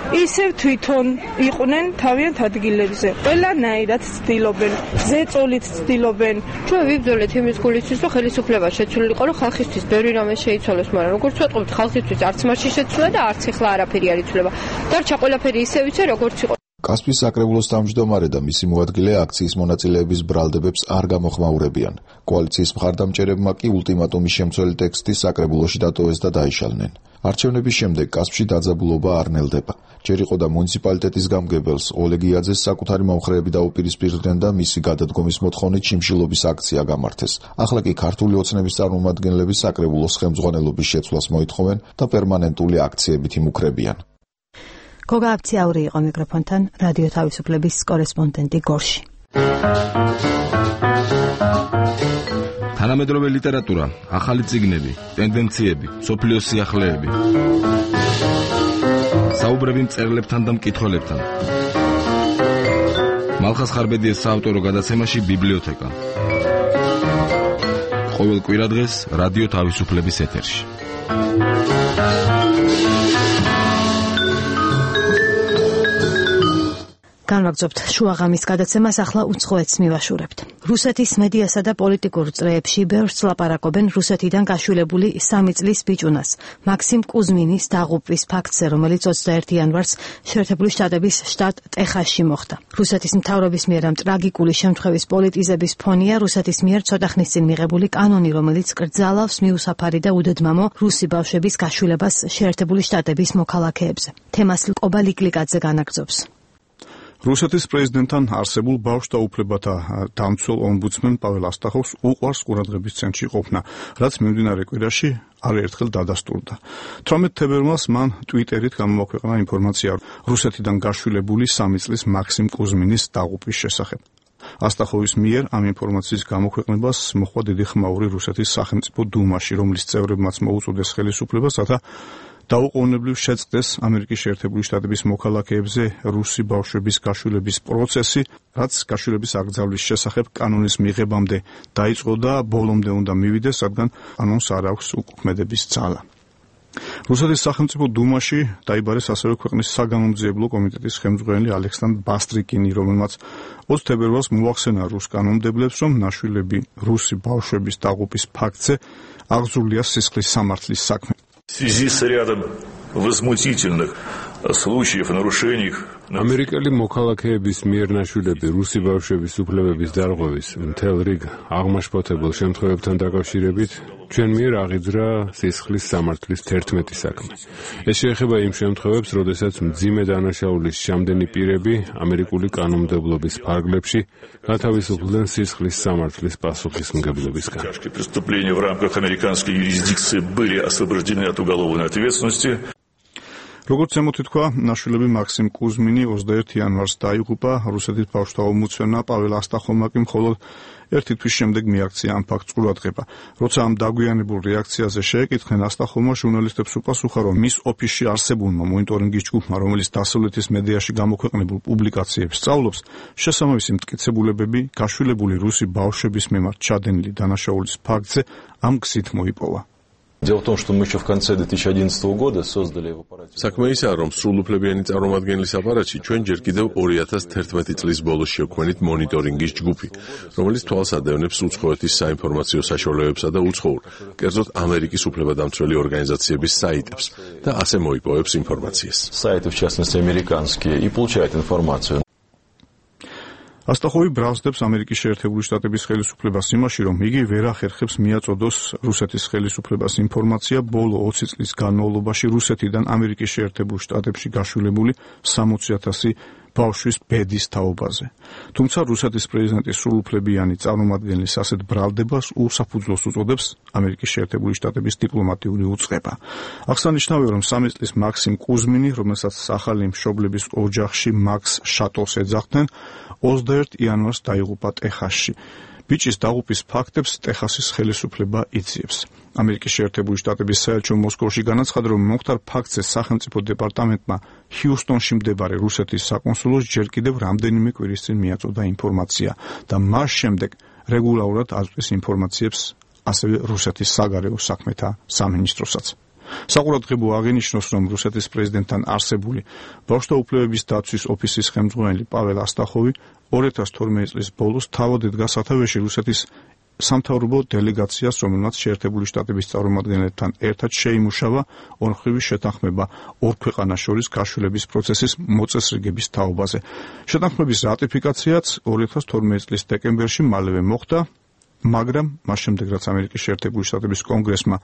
ისევ თვითონ იყვნენ თავიანთ ადგილებზე. ყველანაირად ცდილობენ, ზეწოლით ცდილობენ. ჩვენ ვიბრძოლეთ იმის გულისთვის, რომ ხელისუფლება შეცვლილიყო, რომ ხალხისთვის ბევრი რამე შეიცვალოს, მაგრამ როგორც ვეტყობთ, ხალხისთვის არც მაშინ შეცვლა და არც ახლა არაფერი არ იცვლება. დარჩა ყველაფერი ისევ იცე, როგორც იყო. კასპის საკრებულოს თავმჯდომარე და მისი მოადგილე აქციის მონაწილეების ბრალდებებს არ გამოხმაურებიან. კოალიციის მხარდამჭერებმა კი ულტიმატუმის შემცველი ტექსტი საკრებულოში დატოვეს და დაიშალნენ. არჩევნების შემდეგ კასპში დაძაბულობა არ ნელდება. ჯერ იყო და მუნიციპალიტეტის გამგებელს ოლეგიაძეს საკუთარი მომხრეები დაუპირისპირდნენ და მისი გადადგომის მოთხოვნით შიმშილობის აქცია გამართეს. ახლა კი ქართული ოცნების წარმომადგენლები საკრებულოს ხელმძღვანელობის შეცვლას მოითხოვენ და პერმანენტული აქციებით იმუქრებიან. გოგა აფციაური იყო მიკროფონთან, რადიო თავისუფლების კორესპონდენტი გორში. თანამედროვე ლიტერატურა, ახალი წიგნები, ტენდენციები, სოფლიოს სიახლეები. საუბრები მწერლებთან და მკითხველებთან. მალხას ხარბედიეს საავტორო გადაცემაში ბიბლიოთეკა. ყოველ კვირადღეს რადიო თავისუფლების ეთერში. განვაგრძობთ შუაღამის გადაცემას, ახლა უცხოეთს მივაშურებთ. რუსეთის მედიასა და პოლიტიკურ წრეებში ბევრს ლაპარაკობენ რუსეთიდან გაშვილებული სამი წლის ბიჭუნას, მაქსიმ კუზმინის დაღუპვის ფაქტზე, რომელიც ოცდაერთი იანვარს შეერთებული შტატების შტატ ტეხასში მოხდა. რუსეთის მთავრობის მიერ ამ ტრაგიკული შემთხვევის პოლიტიზების ფონია რუსეთის მიერ ცოტა ხნის წინ მიღებული კანონი, რომელიც კრძალავს მიუსაფარი და უდედმამო რუსი ბავშვების გაშვილებას შეერთებული შტატების მოქალაქეებზე. თემას ყობა ლიკლიკაძე განაგრძობს. რუსეთის პრეზიდენტთან არსებულ ბავშვთა უფლებათა დამცველ ომბუდსმენ პაվել ასტახოვს უყვარს ყურადღების ცენტრში ყოფნა, რაც მიმდინარე კვირაში არაერთხელ დადასტურდა. თვრამეტ თებერვალს მან ტვიტერით გამოაქვეყნა ინფორმაცია რუსეთიდან გაშვილებული სამი წლის მაქსიმ კუზმინის დაღუპვის შესახებ. ასტახოვის მიერ ამ ინფორმაციის გამოქვეყნებას მოჰყვა დიდი ხმაური რუსეთის სახელმწიფო დუმაში, რომლის წევრებმაც მოუწოდეს ხელისუფლებას, რათა დაუყოვნებლივ შეწყდეს ამერიკის შეერთებული შტატების მოქალაქეებზე რუსი ბავშვების გაშვილების პროცესი, რაც გაშვილების აკრძალვის შესახებ კანონის მიღებამდე დაიწყო და ბოლომდე უნდა მივიდეს, რადგან კანონს არ აქვს უკუქმედების ძალა. რუსეთის სახელმწიფო დუმაში დაიბარეს ასევე ქვეყნის საგამომძიებლო კომიტეტის ხელმძღვანელი ალექსანდრ ბასტრიკინი, რომელმაც ოცდაათი თებერვალს მოახსენა რუს კანონმდებლებს, რომ ნაშვილები რუსი ბავშვების დაღუპვის ფაქტზე აღძრულია სისხლის სამართლის საქმე. В связи с рядом возмутительных случаев нарушений ამერიკელი მოქალაქეების მიერ ნაშვილები რუსი ბავშვების უფლებების დარღვევის მთელ რიგ აღმაშფოთებელ შემთხვევებთან დაკავშირებით ჩვენ მიერ აღიძრა სისხლის სამართლის თერთმეტი საქმე. ეს შეეხება იმ შემთხვევებს, როდესაც მძიმე დანაშაულის შემდენი პირები ამერიკული კანონმდებლობის ფარგლებში გათავისუფლდნენ სისხლის სამართლის პასუხისმგებლობისგან. Преступления в рамках американской юрисдикции были освобождены от уголовной ответственности. როგორც ემოთითქვა, ნაშვილები მაქსიმ კუზმინი ოცდაერთი იანვარს დაიღუპა, რუსეთის ბავშვთა ომბუდსმენმა პაվել ასტახოვმა კი მხოლოდ ერთი თვის შემდეგ მიაქცია ამ ფაქტს ყურადღება. როცა ამ დაგვიანებულ რეაქციაზე შეეკითხნენ, ასტახოვმა ჟურნალისტებს უპასუხა, რომ მის ოფისში არსებულმა მონიტორინგის ჯგუფმა, რომელიც დასავლეთის მედიაში გამოქვეყნებულ პუბლიკაციებს სწავლობს, შესაბამისი მტკიცებულებები გაშვილებული რუსი ბავშვების მიმართ ჩადენილი დანაშაულის ფაქტზე ამ გზით მოიპოვა. Дело в том, что мы еще в конце две тысячи одиннадцатого года создали в аппарате. საქმე ისაა, რომ სრულუფლებიანი წარმომადგენლის აპარატში ჩვენ ჯერ კიდევ ორი ათას თერთმეტი წლის ბოლოს შევქმნით მონიტორინგის ჯგუფი, რომელიც თვალს ადევნებს უცხოეთის საინფორმაციო საშუალებებსა და უცხოურ, კერძოდ ამერიკის უფლებადამცველი ორგანიზაციების საიტებს და ასე მოიპოვებს ინფორმაციას. Сайты, в частности, американские, и получает информацию. ასტახოვი ბრალსდებს ამერიკის შეერთებული შტატების ხელისუფლებას იმაში, რომ იგი ვერ ახერხებს მიაწოდოს რუსეთის ხელისუფლებას ინფორმაცია ბოლო ოცი წლის განმავლობაში რუსეთიდან ამერიკის შეერთებულ შტატებში გაშვილებული სამოცი ათასი ბავშვის ბედის თაობაზე. თუმცა რუსეთის პრეზიდენტის სრულუფლებიანი წარმომადგენლის ასეთ ბრალდებას უსაფუძვლოს უწოდებს ამერიკის შეერთებული შტატების დიპლომატიური უწყება. აღსანიშნავია, რომ სამი წლის მაქსიმ კუზმინი, რომელსაც ახალი მშობლების ოჯახში მაქს შატოს ეძახდნენ, ოცდაერთი იანვარს დაიღუპა ტეხასში. ბიჭის დაღუპვის ფაქტებს ტეხასის ხელისუფლება იძიებს. ამერიკის შეერთებული შტატების საელჩო მოსკოვში განაცხადა, რომ მომხდარ ფაქტზე სახელმწიფო დეპარტამენტმა ჰიუსტონში მდებარე რუსეთის საკონსულოს ჯერ კიდევ რამდენიმე კვირის წინ მიაწოდა ინფორმაცია და მას შემდეგ რეგულარულად აწვდის ინფორმაციებს ასევე რუსეთის საგარეო საქმეთა სამინისტროსაც. საყურადღებო აღინიშნოს, რომ რუსეთის პრეზიდენტთან არსებული ბავშვთა უფლებების დაცვის ოფისის ხელმძღვანელი პაվել ასტახოვი ორი ათას თორმეტი წლის ბოლოს თავად ედგა სათავეში რუსეთის სამთავრობო დელეგაციას, რომელმაც შეერთებული შტატების წარმომადგენლებთან ერთად შეიმუშავა ორმხრივი შეთანხმება ორ ქვეყანას შორის გაშვილების პროცესის მოწესრიგების თაობაზე. შეთანხმების რატიფიკაციაც ორი ათას თორმეტი წლის დეკემბერში მალევე მოხდა, მაგრამ მას შემდეგ, რაც ამერიკის შეერთებული შტატების კონგრესმა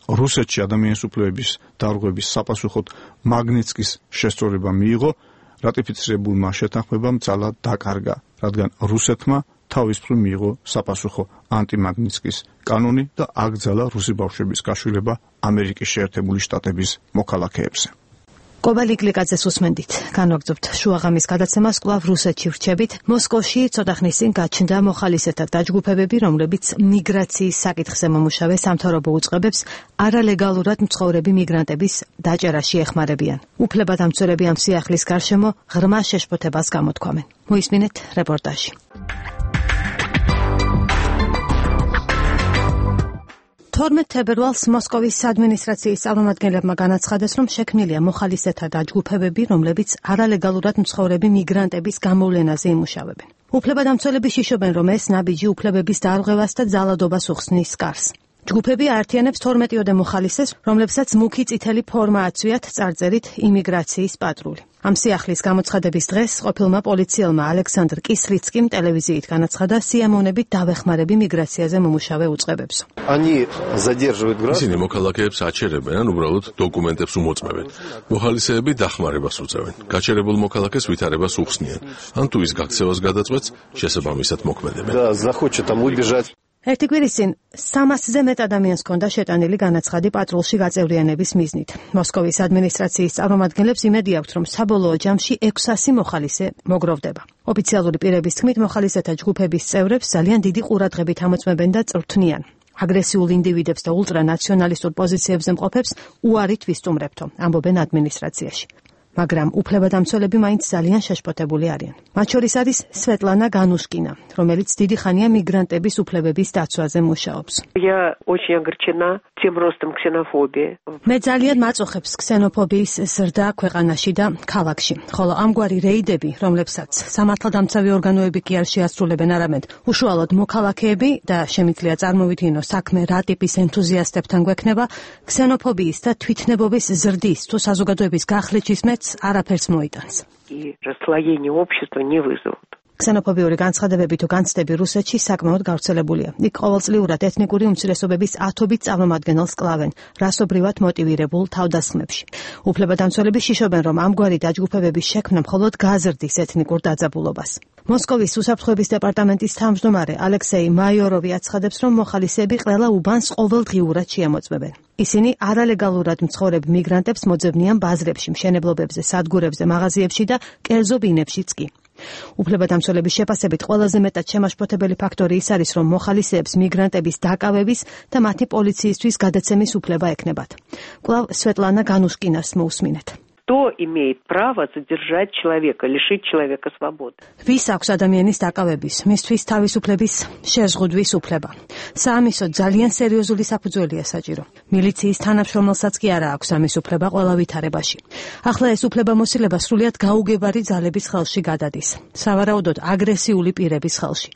რუსეთში ადამიანის უფლებების დარღვევის საპასუხოდ მაგნიცკის შესწორება მიიღო, რატიფიცირებულმა შეთანხმებამ ძალა დაკარგა, რადგან რუსეთმა თავისუფლად მიიღო საპასუხო ანტიმაგნიცკის კანონი და აკრძალა რუსი ბავშვების გაშვილება ამერიკის შეერთებული შტატების მოქალაქეებზე. ყობა ლიკლიკაძეს უსმენდით. განვაგრძობთ შუაღამის გადაცემას, კვლავ რუსეთში ვრჩებით. მოსკოვში ცოტა ხნის წინ გაჩნდა მოხალისეთა დაჯგუფებები, რომლებიც მიგრაციის საკითხზე მომუშავე სამთავრობო უწყებებს არალეგალურად მცხოვრები მიგრანტების დაჭერაში ეხმარებიან. უფლებადამცველები ამ სიახლის გარშემო ღრმა შეშფოთებას გამოთქვამენ. მოისმინეთ რეპორტაჟი. თორმეტ თებერვალს მოსკოვის ადმინისტრაციის წარმომადგენლებმა განაცხადეს, რომ შექმნილია მოხალისეთა დაჯგუფებები, რომლებიც არალეგალურად მცხოვრები მიგრანტების გამოვლენაზე იმუშავებენ. უფლებადამცველები შიშობენ, რომ ეს ნაბიჯი უფლებების დარღვევას და ძალადობას უხსნის კარს. ჯგუფები აერთიანებს თორმეტიოდე მოხალისეს, რომლებსაც მუქი წითელი ფორმა აცვიათ წარწერით იმიგრაციის პატრული. ამ სიახლის გამოცხადების დღეს ყოფილმა პოლიციელმა ალექსანდრ კისლიცკიმ ტელევიზიით განაცხადა სიამოვნებით დავეხმარები მიგრაციაზე მომუშავე უწყებებს. ისინი მოქალაქეებს აჩერებენ, ან უბრალოდ დოკუმენტებს უმოწმებენ. მოხალისეები დახმარებას უწევენ. გაჩერებულ მოქალაქეს ვითარებას უხსნიან, ან თუ ის გაქცევას გადაწყვეტს, შესაბამისად მოქმედებენ. ერთი კვირის წინ სამასზე მეტ ადამიანს ჰქონდა შეტანილი განაცხადი პატრულში გაწევრიანების მიზნით. მოსკოვის ადმინისტრაციის წარმომადგენლებს იმედი აქვთ, რომ საბოლოო ჯამში ექვსასი მოხალისე მოგროვდება. ოფიციალური პირების თქმით, მოხალისეთა ჯგუფების წევრებს ძალიან დიდი ყურადღებით ამოწმებენ და წვრთნიან. აგრესიულ ინდივიდებს და ულტრანაციონალისტურ პოზიციებზე მყოფებს უარით ვისტუმრებთო, ამბობენ ადმინისტრაციაში. მაგრამ უფლებადამცველები მაინც ძალიან შეშფოთებული არიან. მათ შორის არის სვეტლანა განუშკინა, რომელიც დიდი ხანია მიგრანტების უფლებების დაცვაზე მუშაობს. მე ძალიან მაწუხებს ქსენოფობიის ზრდა ქვეყანაში და ქალაქში, ხოლო ამგვარი რეიდები, რომლებსაც სამართალდამცავი ორგანოები კი არ შეასრულებენ, არამედ უშუალოდ მოქალაქეები და შემიძლია წარმოვიდგინო საქმე რა ტიპის ენთუზიასტებთან გვექნება, ქსენოფობიის და თვითნებობის ზრდის თუ საზოგადოების გახლეჩის მეც არაფერს მოიტანს. ქსენოფობიური განცხადებები თუ განცდები რუსეთში საკმაოდ გავრცელებულია. იქ ყოველწლიურად ეთნიკური უმცირესობების ათობით წარმომადგენელს კლავენ რასობრივად მოტივირებულ თავდასხმებში. უფლებადამცველები შიშობენ, რომ ამგვარი დაჯგუფებების შექმნა მხოლოდ გაზრდის ეთნიკურ დაძაბულობას. მოსკოვის უსაფრთხოების დეპარტამენტის თავმჯდომარე ალექსეი მაიოროვი აცხადებს, რომ მოხალისეები ყველა უბანს ყოველდღიურად შეამოწმებენ. ისინი არალეგალურად მცხოვრებ მიგრანტებს მოძებნიან ბაზრებში, მშენებლობებზე, სადგურებზე, მაღაზიებში და კერძო ბინებშიც კი. უფლებადამცველების შეფასებით ყველაზე მეტად შემაშფოთებელი ფაქტორი ის არის, რომ მოხალისეებს მიგრანტების დაკავების და მათი პოლიციისთვის გადაცემის უფლება ექნებათ. კვლავ სვეტლანა განუშკინას მოусმინეთ. Кто имеет право задержать человека, лишить человека свободы? ვის აქვს ადამიანის დაკავების, მისთვის თავისუფლების შეზღუდვის უფლება? საამისო ძალიან სერიოზული საფუძველია საჭირო. მილიციის თანამშრომელსაც კი არა აქვს ამის უფლება ყველა ვითარებაში. ახლა ეს უფლებამოსილება სრულიად გაუგებარი ძალების ხელში გადადის. სავარაუდოდ აგრესიული პირების ხელში.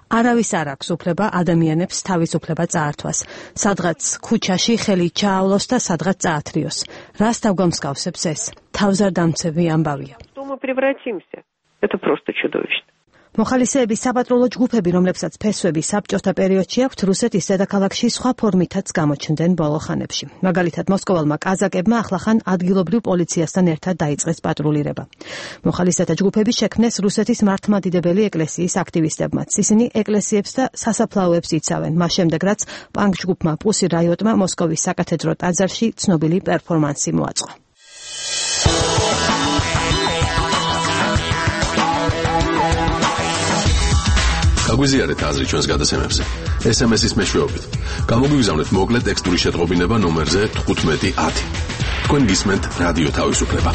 არავის არ აქვს უფლება ადამიანებს თავისუფლება წაართვას. სადღაც ქუჩაში ხელი ჩაავლოს და სადღაც წაათრიოს. რას დაგვამსგავსებს ეს? თავზარდამცევი ამბავია. Это просто чудовищно. მოხალისეების საპატრულო ჯგუფები, რომლებსაც ფესვები საბჭოთა პერიოდში აქვთ, რუსეთის დედაქალაქში სხვა ფორმითაც გამოჩნდნენ ბოლო ხანებში. მაგალითად, მოსკოვალმა კაზაკებმა ახლახან ადგილობრივ პოლიციასთან ერთად დაიწყეს პატრულირება. მოხალისეთა ჯგუფები შექმნეს რუსეთის მართლმადიდებელი ეკლესიის აქტივისტებმაც. ისინი ეკლესიებს და სასაფლაოებს იცავენ. მას შემდეგ, რაც პანკ ჯგუფმა პუსი რაიოტმა მოსკოვის საკათედრო ტაძარში ცნობილი პერფორმანსი მოაწყო. გაგვიზიარეთ აზრი ჩვენს გადაცემებზე. ეს ემ ეს-ის მეშვეობით. გამოგვიგზავნეთ მოკლე ტექსტური შეტყობინება ნომერზე თხუთმეტი ათი. თქვენ გისმენთ რადიო თავისუფლება.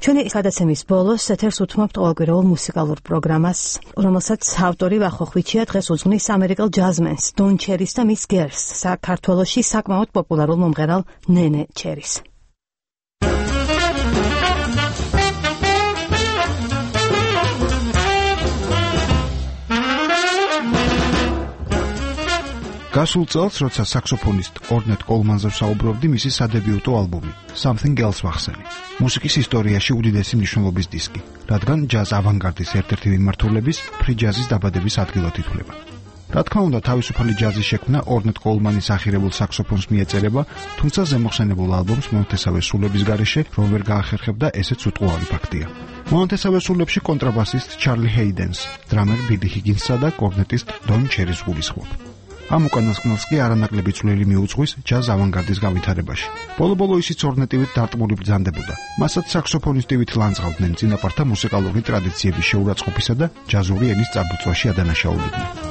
ჩვენი გადაცემის ბოლოს ეთერს უთმობთ ყოველკვირეულ მუსიკალურ პროგრამას, რომელსაც ავტორი ვახო ხვიჩია დღეს უძღვნის ამერიკელ ჯაზმენს დონ ჩერის და მის გერლს, საქართველოში საკმაოდ პოპულარულ მომღერალ ნენე ჩერის. გასულ წელს, როცა საქსოფონისტ ორნეტ კოლმანზე ვსაუბრობდი, მისი სადებიუტო ალბომი Something Else ვახსენე. მუსიკის ისტორიაში უდიდესი მნიშვნელობის დისკი, რადგან ჯაზ ავანგარდის ერთ-ერთი მიმართულების ფრი ჯაზის დაბადების ადგილად ითვლება. რა თქმა უნდა, თავისუფალი ჯაზის შექმნა ორნეტ კოლმანის ახირებულ საქსოფონს მიეწერება, თუმცა ზემოხსენებულ ალბომს მონათესავე სულების გარეშე რომ ვერ გაახერხებდა, ესეც უტყუარი ფაქტია. მონათესავე სულებში კონტრაბასისტ ჩარლი ჰეიდენს, დრამერ ბილი ჰიგინსსა და კორნეტისტ დონ ჩერის გულისხმობ. ამ უკანასკნელს კი არანაკლები წვლილი მიუძღვის ჯაზ ავანგარდის გავითარებაში. ბოლო-ბოლო ისიც ორნეტივით დარტყმული ბრძანდებოდა. მასაც საქსოფონისტივით ლანძღავდნენ წინაპართა მუსიკალური ტრადიციების შეურაცხყოფისა და ჯაზური ენის წარბუწვაში ადანაშაულიდნენ.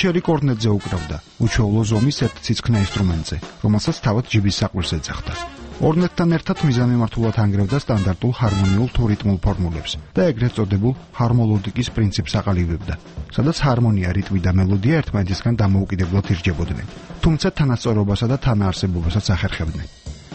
ჩერი კორნეტზე უკრავდა, უჩვეულო ზომის ერთ ციცქნა ინსტრუმენტზე, რომელსაც თავად ჯიბის საყვირს ეძახდა. ორნეტთან ერთად მიზანმიმართულად ანგრევდა სტანდარტულ ჰარმონიულ თუ რიტმულ ფორმულებს და ეგრეთ წოდებულ ჰარმოლოდიკის პრინციპს აყალიბებდა, სადაც ჰარმონია, რიტმი და მელოდია ერთმანეთისგან დამოუკიდებლად ირჯებოდნენ, თუმცა თანასწორობასა და თანაარსებობასაც ახერხებდნენ.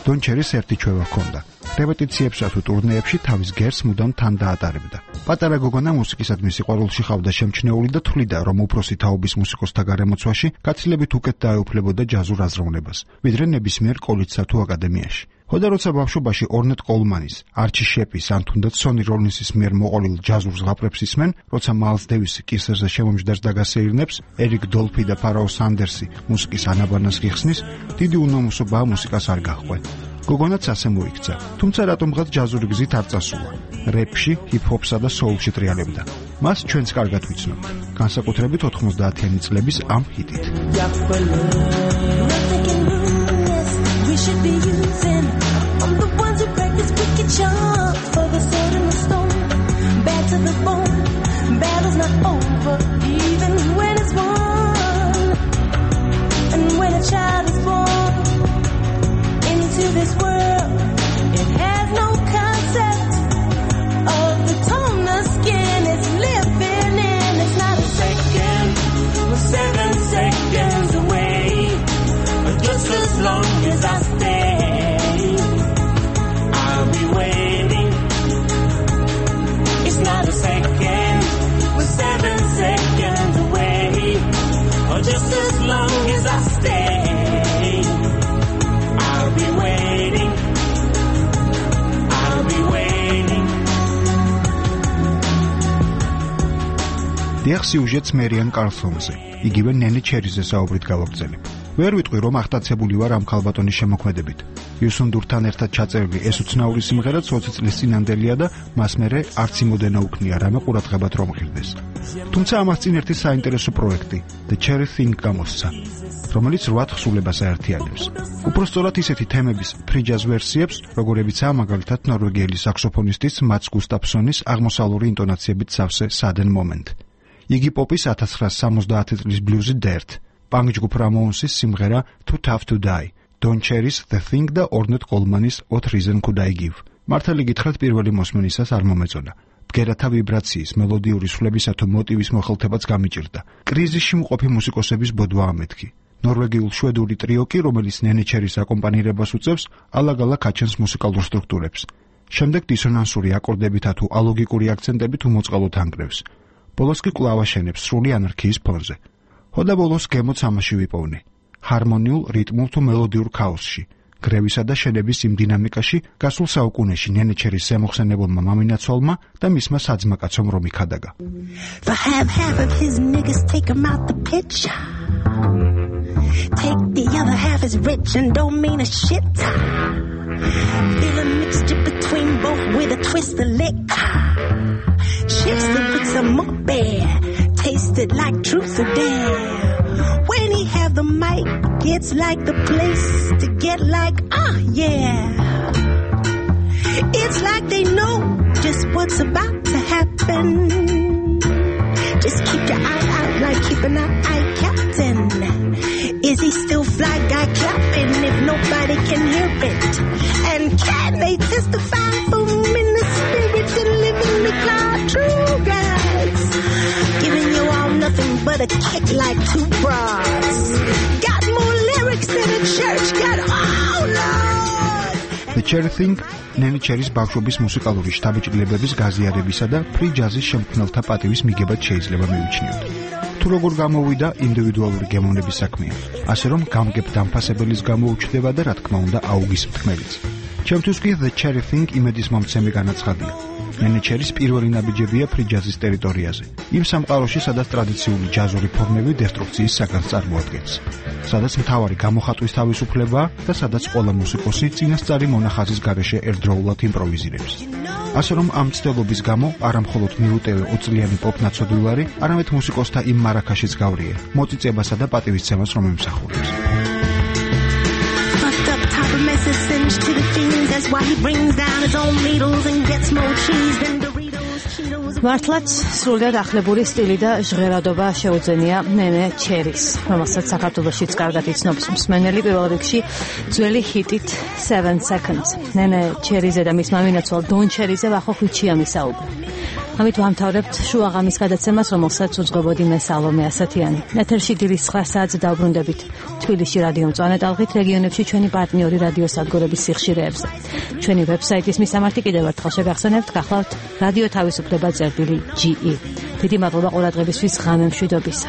დონ ჩერის ერთი ჩვევა ჰქონდა. რეპეტიციებსა თუ ტურნეებში თავის გერს მუდამ თან დაატარებდა. პატარა გოგონა მუსიკისადმი სიყვარულში ყავდა შემჩნეული და თვლიდა, რომ უფროსი თაობის მუსიკოსთა გარემოცვაში გაცილებით უკეთ დაეუფლებოდა ჯაზურ აზროვნებას, ვიდრე ნებისმიერ კოლეჯსა თუ აკადემიაში. ხოდა როცა ბავშვობაში ორნეტ კოლმანის, არჩი შეპის ან თუნდაც სონი როლინსის მიერ მოყოლილ ჯაზურ ზღაპრებს ისმენ, როცა მაილს დევისი კისერზე შემომჯდარს და გასეირნებს, ერიკ დოლფი და ფარაო სანდერსი მუსიკის ანაბანას გიხსნის, დიდი უნომოსობაა მუსიკას არ გაჰყვე. გოგონაც ასე მოიქცა, თუმცა რატომღაც ჯაზური გზით არ წასულა. რეპში, ჰიპ-ჰოპსა და soul-ში ტრიალებდა. მას ჩვენც კარგად ვიცნობთ, განსაკუთრებით ოთხმოცდაათიანი წლების ამ ჰიტით. We should be using. I'm the ones who practice wicked charms for the sword and the stone. Bad to the bone. Battle's not over, even when it's won. And when a child is born into this world, it has no concept of the tone the skin is living in. It's not a second, we're seven seconds away. Just as long as I stay, I'll be waiting. It's not a second, we're seven seconds away. Or just as long as I stay, I'll be waiting. I'll be waiting. დიახ, სიუჟეტს მერიან კარლსონზე, იგივე ნენი ჩერიზე საუბრით გავაგრძელებ. ვერ ვიტყვი, რომ ახტაცებული ვარ ამ ქალბატონის შემოქმედებით. იუსუნდურთან ერთად ჩაწერილი ეს უცნაური სიმღერაც ოცი წლის წინანდელია და მას მერე არც იმოდენა უქნია რამე ყურადღებად რომ ღირდეს. თუმცა ამას წინ ერთი საინტერესო პროექტი, The Cherry Thing გამოსცა, რომელიც რვა თხზულებას აერთიანებს. უпростоრად ისეთი თემების free jazz ვერსიებს, როგორებიცაა მაგალითად ნორვეგიელი საქსოფონისტის მაც გუსტაფსონის აღმოსავლური ინტონაციებით სავსე Sudden Moment. იგი პოპის ათას ცხრაასი სამოცდაათი წლის ბლუზი Dirt, პანკ ჯგუფ რამოუნსის სიმღერა Too Tough to Die, Don Cherry's The Thing და ორნეტ კოლმანის What Reason Could I Give. მართალი გითხრათ, პირველი მოსმენისას არ მომეწონა. ბგერათა ვიბრაციის, მელოდიური სვლებისა თუ მოტივის მოხელთებაც გამიჭირდა. კრიზისში მყოფი მუსიკოსების ბოდვა ამეთქი. ნორვეგიულ შვედური ტრიო კი, რომელიც ნენი ჩერის აკომპანირებას უწევს, ალაგ-ალაგ აჩენს მუსიკალურ სტრუქტურებს. შემდეგ დისონანსური აკორდებითა თუ ალოგიკური აქცენტებით უმოწყალოდ ანგრევს. ბოლოს კი კვლავ აშენებს სრული ანარქიის ფონზე. ხოდა ბოლოს გემოც ამაში ვიპოვნე. ჰარმონიულ, რიტმულ თუ მელოდიურ ქაოსში, გრევისა და შენების იმ დინამიკაში, გასულ საუკუნეში ნენი ჩერის შემოხსენებელმა მამინაცვალმა და მისმა საძმაკაცომ რომი ქადაგა. For half half of his niggas take him out the picture. Take the other half is rich and don't mean a shit. Feel a mixture between both with a twist of liquor. Shifts the with some more beer. Tasted like truth or dare. When he have the mic, it's like the place to get like, ah, yeah. It's like they know just what's about to happen. Just keep your eye out like keeping an eye captain. Is he still fly guy clapping if nobody can hear it? And can they testify for him in the spirit and live in the cloud? True guys, giving you all nothing but a kick like two bras. Got more lyrics than a church got, oh Lord. The Cherry Thing ნენი ჩერის ბავშვობის მუსიკალური შთაბეჭდილებების გაზიარებისა და ფრი ჯაზის შემქმნელთა პატივის მიგებად შეიძლება მივიჩნიოთ. თუ როგორ გამოვიდა ინდივიდუალური გემოვნების საქმეა, ასე რომ გამგებ დამფასებელის გამოუჩნდება და რა თქმა უნდა აუგის მთქმელიც. ჩემთვის კი The Cherry Thing იმედის მომცემი განაცხადია. ნენი ჩერის პირველი ნაბიჯებია ფრი ჯაზის ტერიტორიაზე, იმ სამყაროში, სადაც ტრადიციული ჯაზური ფორმები დესტრუქციის საგანს წარმოადგენს, სადაც მთავარი გამოხატვის თავისუფლებაა და სადაც ყველა მუსიკოსი წინასწარი მონახაზის გარეშე ერთდროულად იმპროვიზირებს. ასე რომ ამ ცდელობის გამო არა მხოლოდ მიუტევე ოწლიანი პოპ ნაცოდულარი, არამედ მუსიკოსთა იმ მარაქაშიც გავრიე, მოწიწებასა და პატივისცემას რომ ემსახურებს. To the fiends, that's why he brings down his own needles and gets more cheese than Doritos, Cheetos, მართლაც სრულიად ახლებური სტილი და ჟღერადობა შეუძენია ნენე ჩერის, რომელსაც საქართველოშიც კარგად იცნობს მსმენელი, პირველ რიგში ძველი ჰიტით seven seconds. ნენე ჩერიზე და მის მამინაცვალ დონ ჩერიზე ვახოხიჩია მისაუბრა. ამით ვამთავრებთ შუაღამის გადაცემას, რომელსაც უძღვებოდი მე სალომე ასათიანი. ეთერში დილის ცხრა საათზე დავბრუნდებით თბილისში რადიო მწვანე ტალღით, რეგიონებში ჩვენი პარტნიორი რადიო სადგურების სიხშირეებზე. ჩვენი ვებსაიტის მისამართი კიდევ ერთხელ შეგახსენებთ, გახლავთ რადიო თავისუფლება წერტილი ჯი ი. დიდი მადლობა ყურადღებისთვის, ღამე მშვიდობისა.